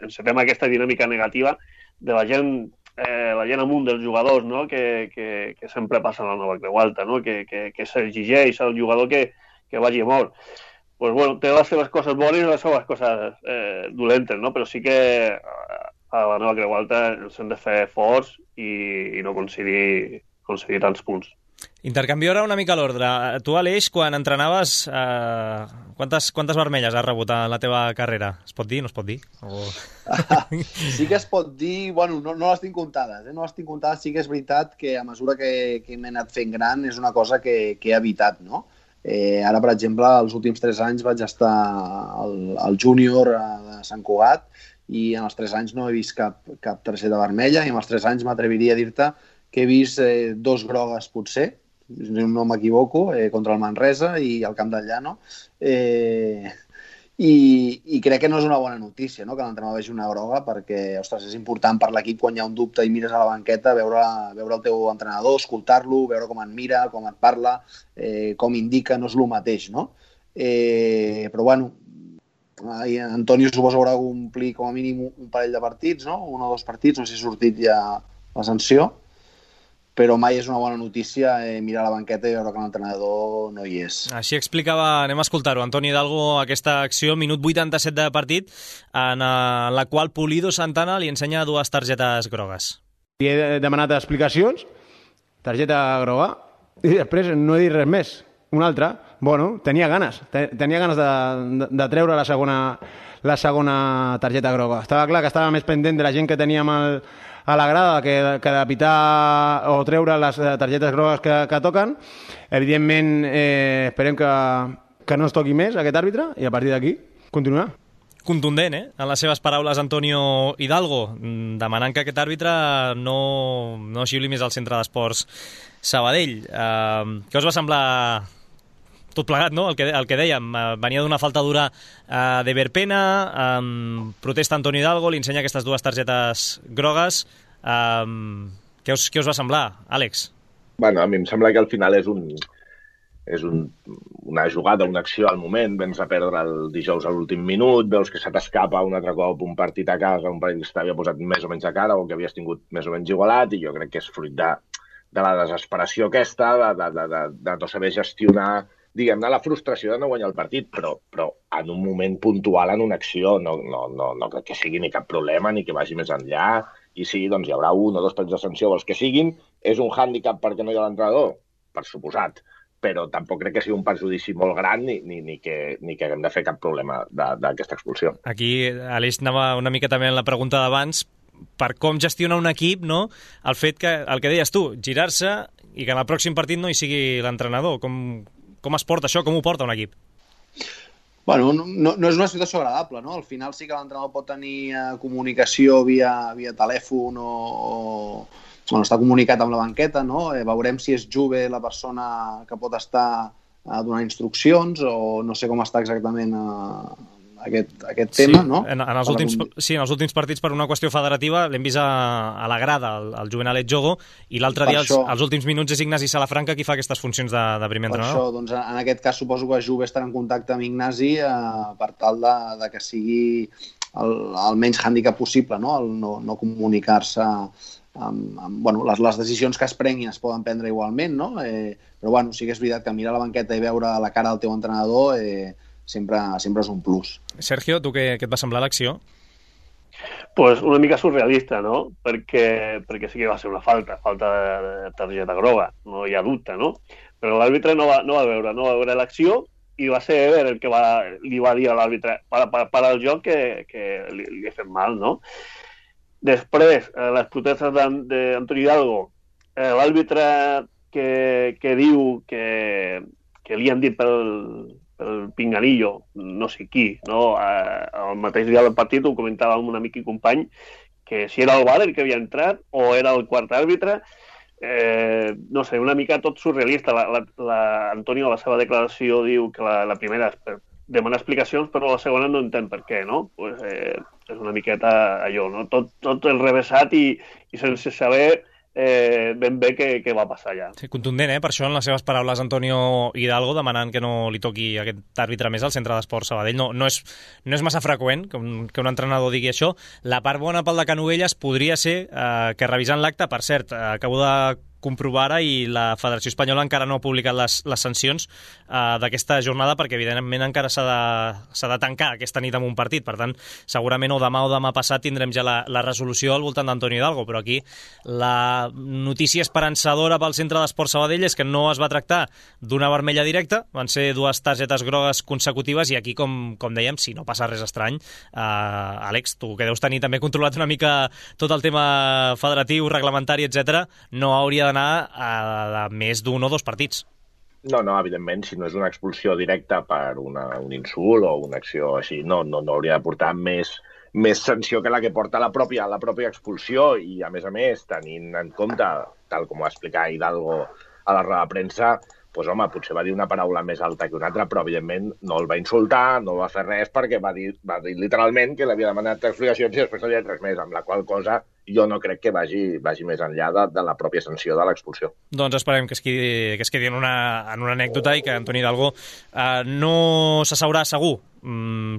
encetem aquesta dinàmica negativa de la gent amunt dels jugadors, no?, que sempre passa a la Nova Creu Alta, no?, que s'exigeix al jugador que vagi a mort. Pues bueno, té les seves coses bones i les seves coses dolentes, no? Però sí que a la Nova Creu Alta ens hem de fer forts i no concedir tants punts. Intercanvio ara una mica l'ordre. Tu, Aleix, quan entrenaves, quantes vermelles has rebut en la teva carrera? Es pot dir? No es pot dir? Sí que es pot dir... Bueno, no les tinc comptades. No les tinc comptades. Sí que és veritat que a mesura que m'he anat fent gran és una cosa que he evitat, no? Ara, per exemple, els últims 3 anys vaig estar al júnior de Sant Cugat i en els 3 anys no he vist cap targeta vermella, i en els 3 anys m'atreviria a dir-te que he vist 2 grogues potser, no m'equivoco, contra el Manresa i al Camp del Llano, i crec que no és una bona notícia, no?, que l'entrenador vegi una groga, perquè, ostres, és important per l'equip quan hi ha un dubte i mires a la banqueta, veure el teu entrenador, escoltar-lo, veure com et mira, com et parla, com indica, no és el mateix, no? Però, bueno, Antonio suposo haurà de complir com a mínim un parell de partits, no?, 1 o 2 partits, no sé si ha sortit ja la sanció, però mai és una bona notícia mirar la banqueta i veure que l'entrenador no hi és. Així explicava, anem a escoltar-ho, Antoni Hidalgo, aquesta acció, minut 87 de partit, en la qual Pulido Santana li ensenya 2 targetes grogues. Li he demanat explicacions, targeta groga, i després no he dit res més. Una altra, bueno, tenia ganes de treure la segona targeta groga. Estava clar que estava més pendent de la gent que teníem a la grada que de pitar o treure les targetes grogues que toquen. Evidentment, esperem que no es toqui més aquest àrbitre i a partir d'aquí continuar. Contundent, en les seves paraules, Antonio Hidalgo, demanant que aquest àrbitre no xiuli més al centre d'esports Sabadell. Què us va semblar tot plegat, no?, el que dèiem? Venia d'una falta dura de Verpena, protesta Antonio Hidalgo, li ensenya aquestes 2 targetes grogues. Què us va semblar, Àlex? Bueno, a mi em sembla que al final és una jugada, una acció al moment. Vens a perdre el dijous a l'últim minut, veus que se t'escapa un altre cop un partit a casa, un partit que t'havia posat més o menys a cara o que havies tingut més o menys igualat, i jo crec que és fruit de la desesperació aquesta, de no saber gestionar, diguem-ne, la frustració de no guanyar el partit, però en un moment puntual, en una acció, no crec que sigui ni cap problema, ni que vagi més enllà, i sí, doncs hi haurà 1 o 2 partits de sanció, els que siguin. És un hàndicap perquè no hi ha l'entrenador? Per suposat, però tampoc crec que sigui un perjudici molt gran ni que haguem de fer cap problema d'aquesta expulsió. Aquí, Aleix, anava una mica també en la pregunta d'abans, per com gestiona un equip, no?, el fet que, el que deies tu, girar-se i que en el pròxim partit no hi sigui l'entrenador. Com es porta això? Com ho porta un equip? Bueno, no és una situació agradable, no? Al final sí que l'entrenador pot tenir comunicació via telèfon o està comunicat amb la banqueta, no? Veurem si és Juve la persona que pot estar donant instruccions o no sé com està exactament aquest tema, no? En els últims partits, per una qüestió federativa, l'hem vist a la grada, el Juvenalet Jogo, i l'altre dia, als últims minuts, és Ignasi Salafranca qui fa aquestes funcions de primer entrenador. Per això, doncs, en aquest cas, suposo que Juve estarà en contacte amb Ignasi per tal de que sigui el menys hàndicap possible, no? El no comunicar-se bueno, les decisions que es prenguin es poden prendre igualment, no? Però bueno, sí que és veritat que mirar la banqueta i veure la cara del teu entrenador sempre és un plus. Sergio, tu què et va semblar l'acció? Pues una mica surrealista, no? Perquè sí que va ser una falta de targeta groga, no hi ha dubte, no? Però l'àrbitre no va veure l'acció i va ser Ever el que li va dir a l'àrbitre per al joc que li ha fet mal, no? Després, les protestes d'Antoni Hidalgo, l'àrbitre que diu que li han dit pel pinganillo, no sé qui, no? El mateix dia del partit ho comentava amb un amic i company, que si era el VAR el que havia entrat o era el quart àrbitre, no sé, una mica tot surrealista. Antonio, a la seva declaració, diu que la primera és per demanar explicacions, però la segona no entén per què, no? Pues, és una miqueta allò, no? Tot enrevessat i sense saber ben bé què va passar allà. Sí, contundent, per això, en les seves paraules, Antonio Hidalgo, demanant que no li toqui aquest àrbitre més al centre d'esports Sabadell. No és massa freqüent que un entrenador digui això. La part bona pel de Canovelles podria ser que, revisant l'acte, per cert, acabo de comprovar ara i la Federació Espanyola encara no ha publicat les sancions d'aquesta jornada perquè, evidentment, encara s'ha de tancar aquesta nit amb un partit. Per tant, segurament o demà passat tindrem ja la resolució al voltant d'Antonio Hidalgo, però aquí la notícia esperançadora pel centre d'esports Sabadell és que no es va tractar d'una vermella directa, van ser 2 targetes grogues consecutives i aquí, com dèiem, si no passa res estrany, Àlex, tu que deus tenir també controlat una mica tot el tema federatiu, reglamentari, etc., no hauria d'anar a més d'1 o 2 partits. No, evidentment, si no és una expulsió directa per un insult o una acció així, no hauria de portar més sanció que la que porta la pròpia expulsió i, a més, tenint en compte, tal com va explicar Hidalgo a la roda de premsa, doncs, home, potser va dir una paraula més alta que una altra, però, evidentment, no el va insultar, no va fer res, perquè va dir literalment que l'havia demanat explicacions i després no li ha dit res més, amb la qual cosa jo no crec que vagi més enllà de la pròpia sanció de l'expulsió. Doncs esperem que es quedi en una anècdota i que Antoni Hidalgo no s'asseurà segur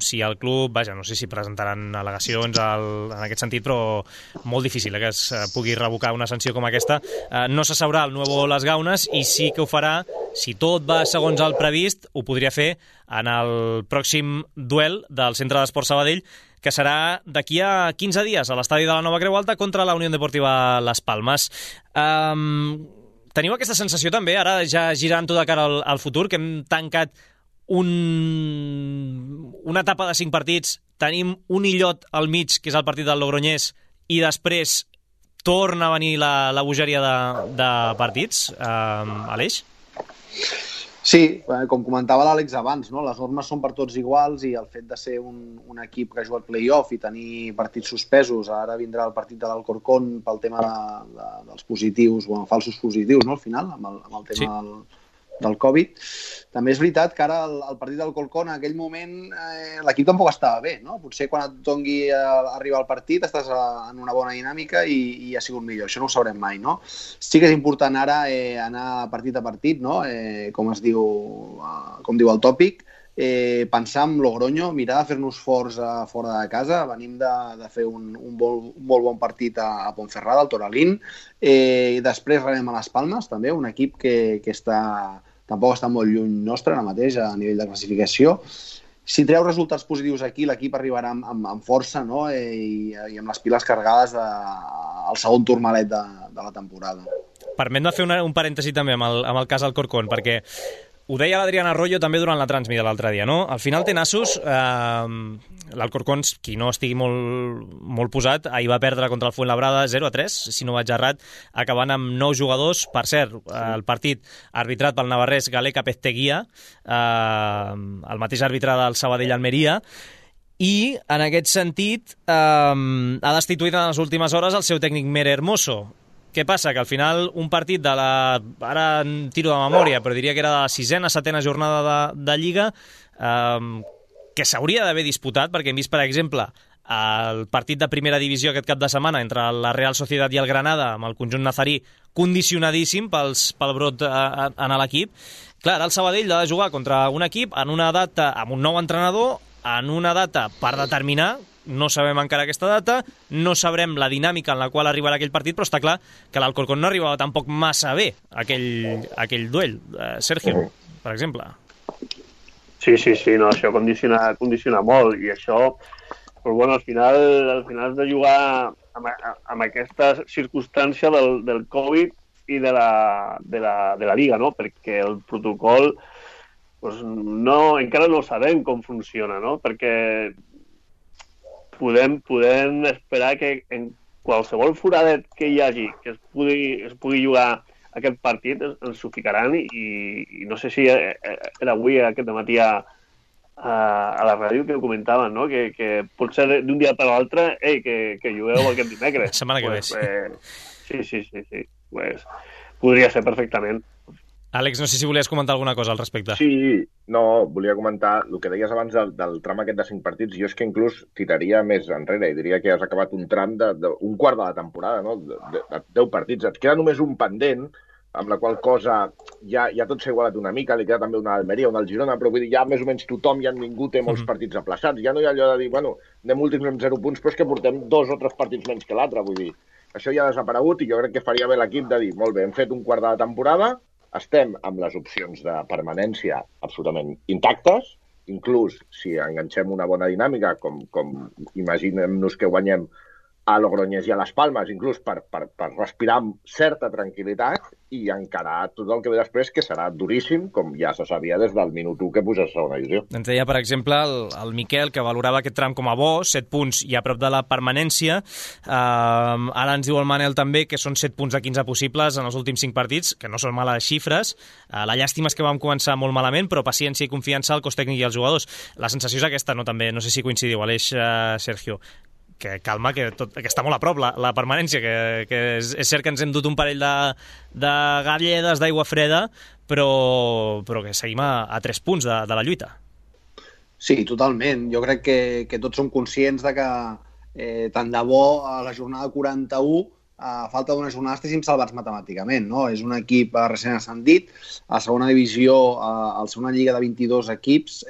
si el club, no sé si presentaran al·legacions en aquest sentit, però molt difícil que es pugui revocar una sanció com aquesta. No s'asseurà el Nuevo Les Gaunes i sí que ho farà, si tot va segons el previst, ho podria fer en el pròxim duel del Centre d'Esports Sabadell, que serà d'aquí a 15 dies a l'estadi de la Nova Creu Alta contra la Unió Deportiva Las Palmes. Teniu aquesta sensació també, ara ja girant tot de cara al futur, que hem tancat una etapa de 5 partits, tenim un illot al mig, que és el partit del Logroñés, i després torna a venir la bogeria de partits, Aleix? Sí, com comentava l'Àlex abans, no? Les normes són per tots iguals i el fet de ser un equip que juga al play-off i tenir partits suspesos, ara vindrà el partit de l'Alcorcón pel tema dels positius, falsos positius, no? Al final, amb el tema del Covid. També és veritat que ara el partit del Alcorcón, en aquell moment, l'equip tampoc estava bé, no? Potser quan et dongui arribar al partit estàs en una bona dinàmica i ha sigut millor. Això no ho sabrem mai, no? Sí que és important ara anar partit a partit, no? Com diu el tòpic, pensar en Logroño, mirar de fer-nos forts fora de casa. Venim de fer un molt bon partit a Ponferrada, al Toralín. Després rebem a Las Palmes, també, un equip que tampoc està molt lluny nostre ara mateix a nivell de classificació. Si treu resultats positius aquí, l'equip arribarà amb força, no? I amb les piles carregades al segon turmalet de la temporada. Permet-me fer un parèntesi també amb el cas Alcorcón, perquè ho deia l'Adrián Arroyo també durant la transmida l'altre dia, no? Al final té nassos, l'Alcorcón, qui no estigui molt posat, ahir va perdre contra el Fuenlabrada 0-3, si no vaig errat, acabant amb 9 jugadors. Per cert, el partit arbitrat pel navarrès Galeka Pezteguía, el mateix àrbitre del Sabadell-Almeria, i en aquest sentit ha destituït en les últimes hores el seu tècnic Mere Hermoso. Què passa? Que al final un partit de ara tiro de memòria, però diria que era de la 6ª, 7ª jornada de Lliga, que s'hauria d'haver disputat, perquè hem vist, per exemple, el partit de primera divisió aquest cap de setmana entre la Real Sociedad i el Granada, amb el conjunt nazarí condicionadíssim pel brot en l'equip. Clar, el Sabadell ha de jugar contra un equip en una data amb un nou entrenador, en una data per determinar. No sabem encara aquesta data, no sabrem la dinàmica en la qual arribarà aquell partit, però està clar que l'Alcorcón no arribava tampoc massa bé aquell duel. Sergio, per exemple. Sí, no, això condiciona molt, i això, però bueno, al final has de jugar amb aquesta circumstància del Covid i de la Lliga, no? Perquè el protocol pues, encara no sabem com funciona, no? Perquè podem esperar que en qualsevol foradet que hi hagi que es pugui jugar aquest partit ens ho ficaran i no sé si era avui aquest matí a la ràdio que ho comentaven, no? Que pot ser d'un dia per l'altre que jugueu aquest dimecres. La setmana que ve. Sí. Pues, podria ser perfectament. Àlex, no sé si volies comentar alguna cosa al respecte. Sí, no, volia comentar el que deies abans del tram aquest de 5 partits. Jo és que inclús tiraria més enrere i diria que has acabat un tram d'un quart de la temporada, no? De 10 partits. Et queda només un pendent, amb la qual cosa ja tot s'ha igualat una mica, li queda també una Almeria, una al Girona, però vull dir, ja més o menys tothom, ja ningú té molts partits aplaçats. Ja no hi ha allò de dir, bueno, anem últims amb 0 punts, però és que portem 2 o 3 partits menys que l'altre, vull dir. Això ja ha desaparegut i jo crec que faria bé l'equip de dir, molt bé, hem fet un quart de la temporada, estem amb les opcions de permanència absolutament intactes, inclús si enganxem una bona dinàmica, com imaginem-nos que guanyem a Logroñés i a les Palmes, inclús per respirar amb certa tranquil·litat i encarar tot el que ve després, que serà duríssim, com ja se sabia des del minut 1 que puja a segona divisió. Ens deia, per exemple, el Miquel, que valorava aquest tram com a bo, 7 punts i a prop de la permanència. Ara ens diu el Manel també que són 7 punts de 15 possibles en els últims 5 partits, que no són males xifres. La llàstima és que vam començar molt malament, però paciència i confiança al cos tècnic i als jugadors. La sensació és aquesta, no? També, no sé si coincidiu, Aleix, Sergio, que calma, que està molt a prop la permanència, que és cert que ens hem dut un parell de galledes d'aigua freda, però que seguim a 3 punts de la lluita. Sí, totalment. Jo crec que tots som conscients de que tant de bo a la jornada 41 a falta d'una jornada estiguéssim salvats matemàticament, no? És un equip recent ascendit, a segona divisió, al ser una lliga de 22 equips,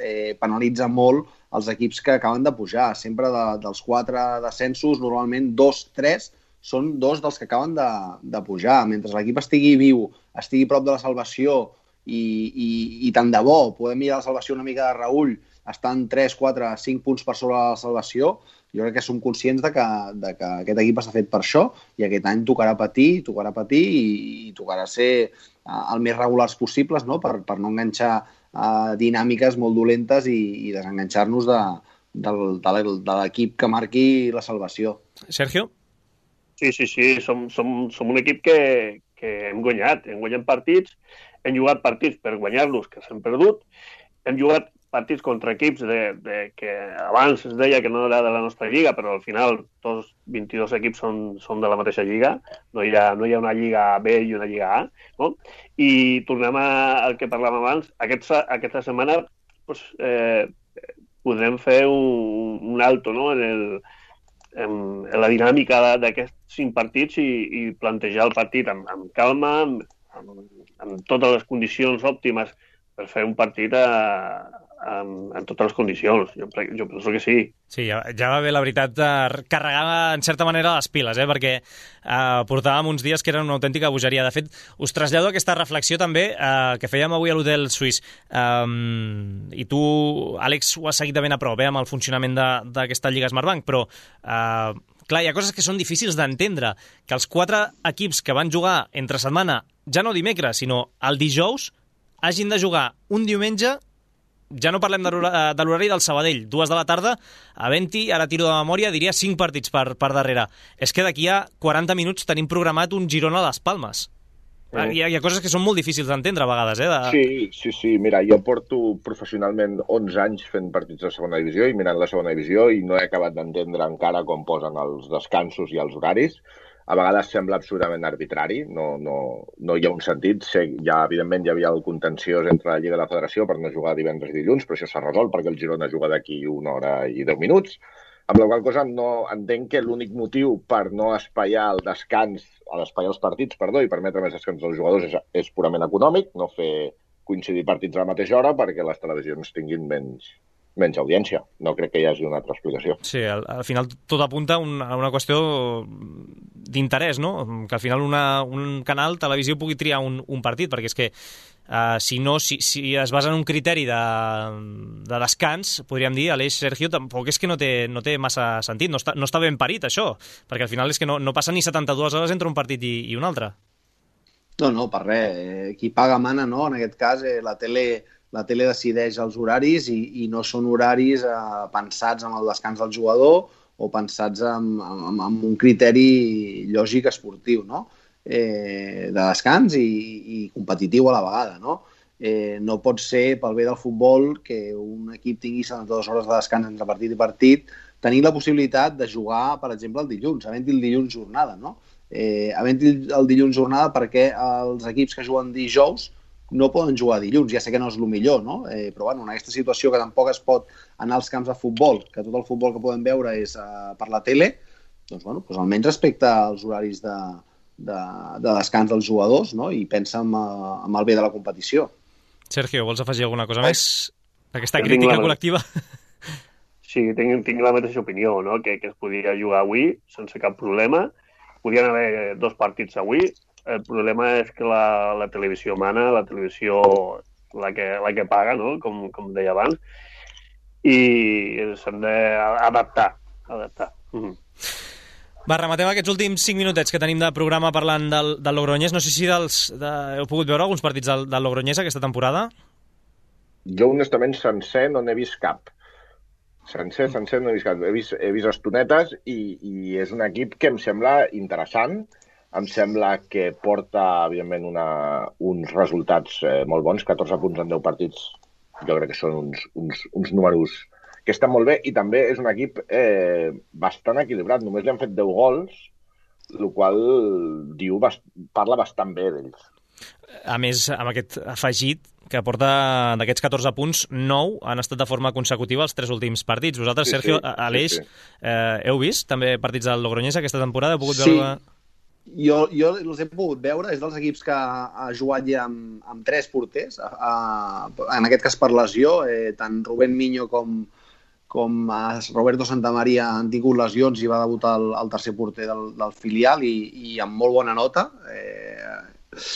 penalitza molt els equips que acaben de pujar. Sempre dels 4 descensos, normalment 2-3 són 2 dels que acaben de pujar. Mentre l'equip estigui viu, estigui prop de la salvació i tant de bo podem mirar la salvació una mica de reüll, estan 3, 4, 5 punts per sobre la salvació, jo crec que som conscients de que aquest equip està fet per això i aquest any tocarà patir i tocarà ser el més regulars possibles, no? Per no enganxar dinàmiques molt dolentes i desenganxar-nos de l'equip que marqui la salvació. Sergio? Sí. Som un equip que hem guanyat partits, hem jugat partits per guanyar-los, que s'han perdut, hem jugat partits contra equips que abans es deia que no era de la nostra lliga, però al final tots 22 equips són de la mateixa lliga, no hi ha una lliga B i una lliga A, no? I tornem al que parlàvem abans, aquesta setmana podrem fer un alto, no? en la dinàmica d'aquests 5 partits i plantejar el partit amb calma, amb totes les condicions òptimes per fer un partit en totes les condicions. Jo penso que sí. Sí, ja va bé, la veritat, carregar en certa manera les piles, perquè portàvem uns dies que eren una autèntica bogeria. De fet, us trasllado aquesta reflexió també que fèiem avui a l'Hotel Suís. I tu, Àlex, ho has seguit de ben a prop, amb el funcionament d'aquesta Lliga Smartbank, però clar, hi ha coses que són difícils d'entendre. Que els 4 equips que van jugar entre setmana, ja no dimecres, sinó el dijous, hagin de jugar un diumenge. Ja no parlem de l'horari del Sabadell, 2 de la tarda, havent-hi, ara tiro de memòria, diria 5 partits per darrere. És que d'aquí a 40 minuts tenim programat un Girona a les Palmes. Hi ha coses que són molt difícils d'entendre a vegades, Sí. Mira, jo porto professionalment 11 anys fent partits de segona divisió i mirant la segona divisió i no he acabat d'entendre encara com posen els descansos i els horaris. A vegades sembla absolutament arbitrari, no hi ha un sentit. Evidentment hi havia el contenciós entre la Lliga i la Federació per no jugar divendres i dilluns, però això s'ha resolt perquè el Girona juga d'aquí 1 hora i 10 minuts. Amb la qual cosa no entenc que l'únic motiu per no espaiar el descans, espaiar els partits, i permetre més descans als jugadors és purament econòmic, no fer coincidir partits a la mateixa hora perquè les televisions tinguin menys audiència. No crec que hi hagi una altra explicació. Sí, al final tot apunta a una qüestió d'interès, no? Que al final un canal televisió pugui triar un partit, perquè és que si es basa en un criteri de descans, podríem dir, Aleix, Sergio, tampoc és que no té massa sentit, no està ben parit això, perquè al final és que no passa ni 72 hores entre un partit i un altre. No, per res. Qui paga mana, no? En aquest cas, la tele decideix els horaris i no són horaris pensats amb el descans del jugador o pensats amb un criteri lògic esportiu, no? De descans i competitiu a la vegada, no? No pot ser, pel bé del futbol, que un equip tingui 72 hores de descans entre partit i partit, tenir la possibilitat de jugar, per exemple, el dilluns, havent-hi el dilluns jornada, no? Havent-hi el dilluns jornada perquè els equips que juguen dijous no poden jugar dilluns, ja sé que no és el millor, no? Però bueno, en aquesta situació que tampoc es pot anar als camps de futbol, que tot el futbol que podem veure és per la tele, doncs almenys respecte als horaris de descans dels jugadors, no? I pensa en el bé de la competició. Sergio, vols afegir alguna cosa més d'aquesta crítica col·lectiva? Sí, tinc la mateixa opinió, no? Que es podia jugar avui sense cap problema. Podien haver 2 partits avui. El problema és que la televisió mana, la televisió la que paga, no? Com deia abans, i s'han d'adaptar. Va, rematem aquests últims 5 minutets que tenim de programa parlant del Logroñés. No sé si heu pogut veure alguns partits del Logroñés aquesta temporada? Jo, honestament, sencer no n'he vist cap. Sencer no he vist cap. He vist estonetes i és un equip que em sembla interessant. Em sembla que porta, evidentment, uns resultats molt bons, 14 punts en 10 partits. Jo crec que són uns números que estan molt bé, i també és un equip bastant equilibrat. Només li han fet 10 gols, el qual parla bastant bé d'ells. A més, amb aquest afegit que porta d'aquests 14 punts, 9 han estat de forma consecutiva els 3 últims partits. Vosaltres, sí, Sergio, Aleix, heu vist també partits del Logroñés aquesta temporada? Heu pogut veure... Jo els he pogut veure, és dels equips que ha jugat ja amb 3 porters, en aquest cas per lesió, tant Rubén Miño com Roberto Santamaría han tingut lesions i va debutar el tercer porter del filial i amb molt bona nota.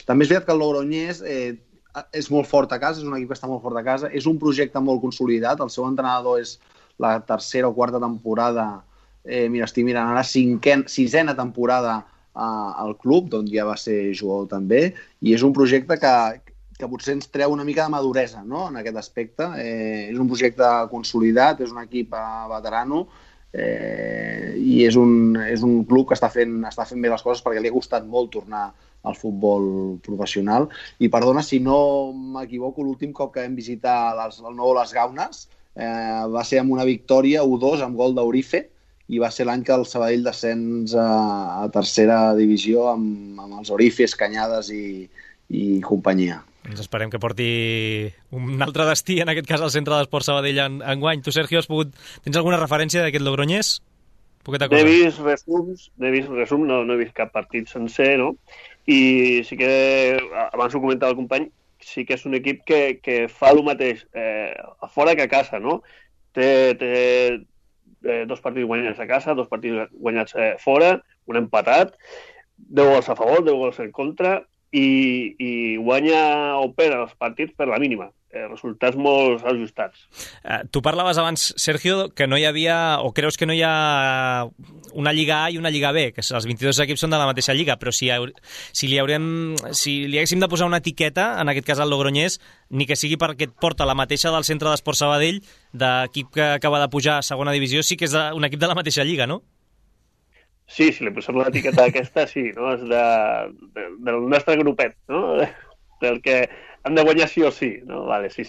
També és veritat que el Logroñés és molt fort a casa, és un equip que està molt fort a casa, és un projecte molt consolidat, el seu entrenador és la tercera o quarta temporada, estic mirant ara, sisena temporada al club, d'on ja va ser jugador també, i és un projecte que potser ens treu una mica de maduresa, no?, en aquest aspecte. És un projecte consolidat, és un equip veterano i és un club que està fent bé les coses perquè li ha costat molt tornar al futbol professional. I perdona, si no m'equivoco, l'últim cop que vam visitar el nou Les Gaunes va ser amb una victòria 1-2 amb gol d'Eurife, i va ser l'any que el Sabadell descens a tercera divisió amb els Orifes, Canyades i companyia. Ens esperem que porti un altre destí, en aquest cas al Centre d'Esport Sabadell enguany. Tu, Sergio, tens alguna referència d'aquest Logroñés? N'he vist resums, no he vist cap partit sencer, no? I sí que, abans ho comentava el company, sí que és un equip que fa el mateix a fora que a casa, no? Té 2 partits guanyats a casa, 2 partits guanyats fora, un empatat, 10 gols a favor, 10 gols en contra, i guanya o perd els partits per la mínima. Resultats molt ajustats. Tu parlaves abans, Sergio, que no hi havia, o creus que no hi ha una Lliga A i una Lliga B, que els 22 equips són de la mateixa lliga, però si li haguéssim de posar una etiqueta, en aquest cas al Logroñés, ni que sigui perquè et porta la mateixa del Centre d'Esport Sabadell, d'equip que acaba de pujar a segona divisió, sí que és un equip de la mateixa lliga, no? Sí, si li posem l'etiqueta aquesta, sí, no? És del nostre grupet, no? Del que han de guanyar sí o sí, no? Vale, sí.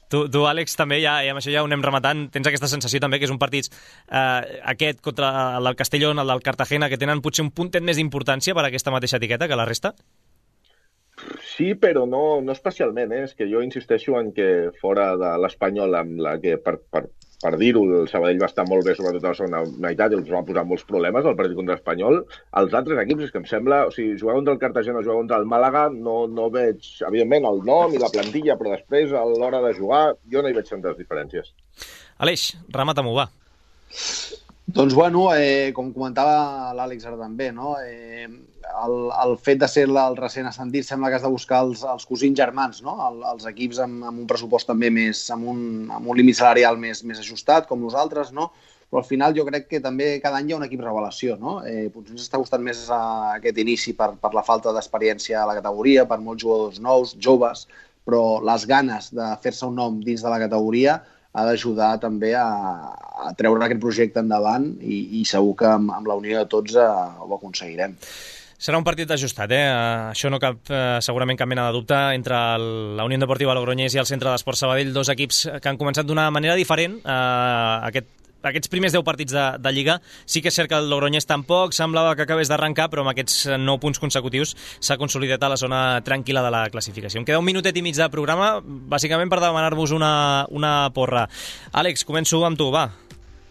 Tu, Àlex, també, ja amb això ja ho anem rematant, tens aquesta sensació també que és un partit aquest contra el del Castellón, el del Cartagena, que tenen potser un puntet més d'importància per a aquesta mateixa etiqueta que la resta? Sí, però no especialment, És que jo insisteixo en que fora de l'Espanyol, amb la que, per dir-ho, el Sabadell va estar molt bé, sobretot a la segona meitat, i els va posar molts problemes al partit contra l'Espanyol. Els altres equips, és que em sembla, o sigui, jugar contra el Cartagena, jugar contra el Màlaga, no veig, evidentment, el nom i la plantilla, però després, a l'hora de jugar, jo no hi veig tantes diferències. Aleix, remata-m'ho, va. Doncs, bueno, com comentava l'Àlex ara també, no? El fet de ser el recent ascendit sembla que has de buscar els cosins germans, no? Els equips amb un pressupost també més, amb un límit salarial més ajustat, com nosaltres, no? Però al final jo crec que també cada any hi ha un equip revelació, no? Potser ens està costant més aquest inici per la falta d'experiència a la categoria, per molts jugadors nous, joves, però les ganes de fer-se un nom dins de la categoria ha d'ajudar també a treure aquest projecte endavant i segur que amb la unió de tots ho aconseguirem. Serà un partit ajustat, Això no cap segurament cap mena de dubte entre la Unió Deportiva Logroñés i el Centre d'Esport Sabadell, 2 equips que han començat d'una manera diferent aquests primers 10 partits de Lliga. Sí que és cert que el Logroñés tampoc semblava que acabés d'arrencar, però amb aquests 9 punts consecutius s'ha consolidat a la zona tranquil·la de la classificació. Em queda un minutet i mig de programa, bàsicament per demanar-vos una porra. Àlex, començo amb tu, va.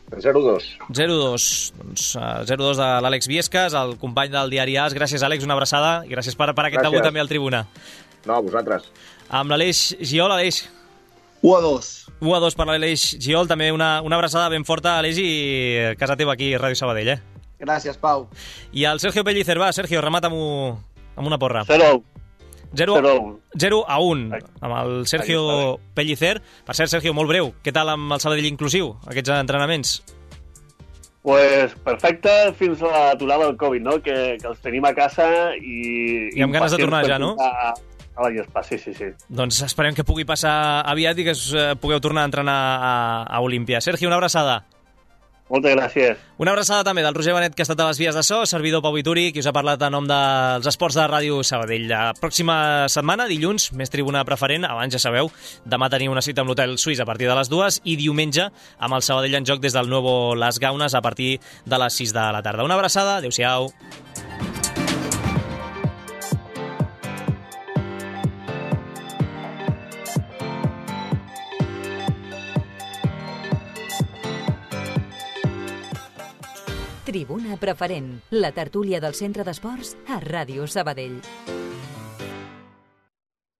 0-2. 0-2. Doncs 0-2 de l'Àlex Viescas, el company del diari AS. Gràcies, Àlex, una abraçada i gràcies per aquest debut també al Tribuna. No, a vosaltres. Amb l'Aleix Giol, Aleix. 1-2. 1-2 per l'Aleix Giol, també una abraçada ben forta, Aleix, i casa teva aquí, Ràdio Sabadell, Gràcies, Pau. I el Sergio Pellicer, va, Sergio, remata-m'ho amb una porra. 0-1 amb el Sergio Pellicer. Per cert, Sergio, molt breu, què tal amb el Sabadell inclusiu, aquests entrenaments? Pues perfecte fins a l'aturada del Covid, no? Que els tenim a casa i amb ganes de tornar ja, no? A la gespa, sí. Doncs esperem que pugui passar aviat i que pugueu tornar a entrenar a Olímpia. Sergi, una abraçada. Moltes gràcies. Una abraçada també del Roger Benet, que ha estat a les vies de so, servidor Pau Vituri, qui us ha parlat en nom dels esports de Ràdio Sabadell. La pròxima setmana, dilluns, més tribuna preferent, abans ja sabeu, demà teniu una cita amb l'Hotel Suís a partir de les 2 i diumenge amb el Sabadell en joc des del Nuevo Las Gaunes a partir de les 6 de la tarda. Una abraçada, adéu-siau. Tribuna Preferent, la tertúlia del Centre d'Esports a Ràdio Sabadell.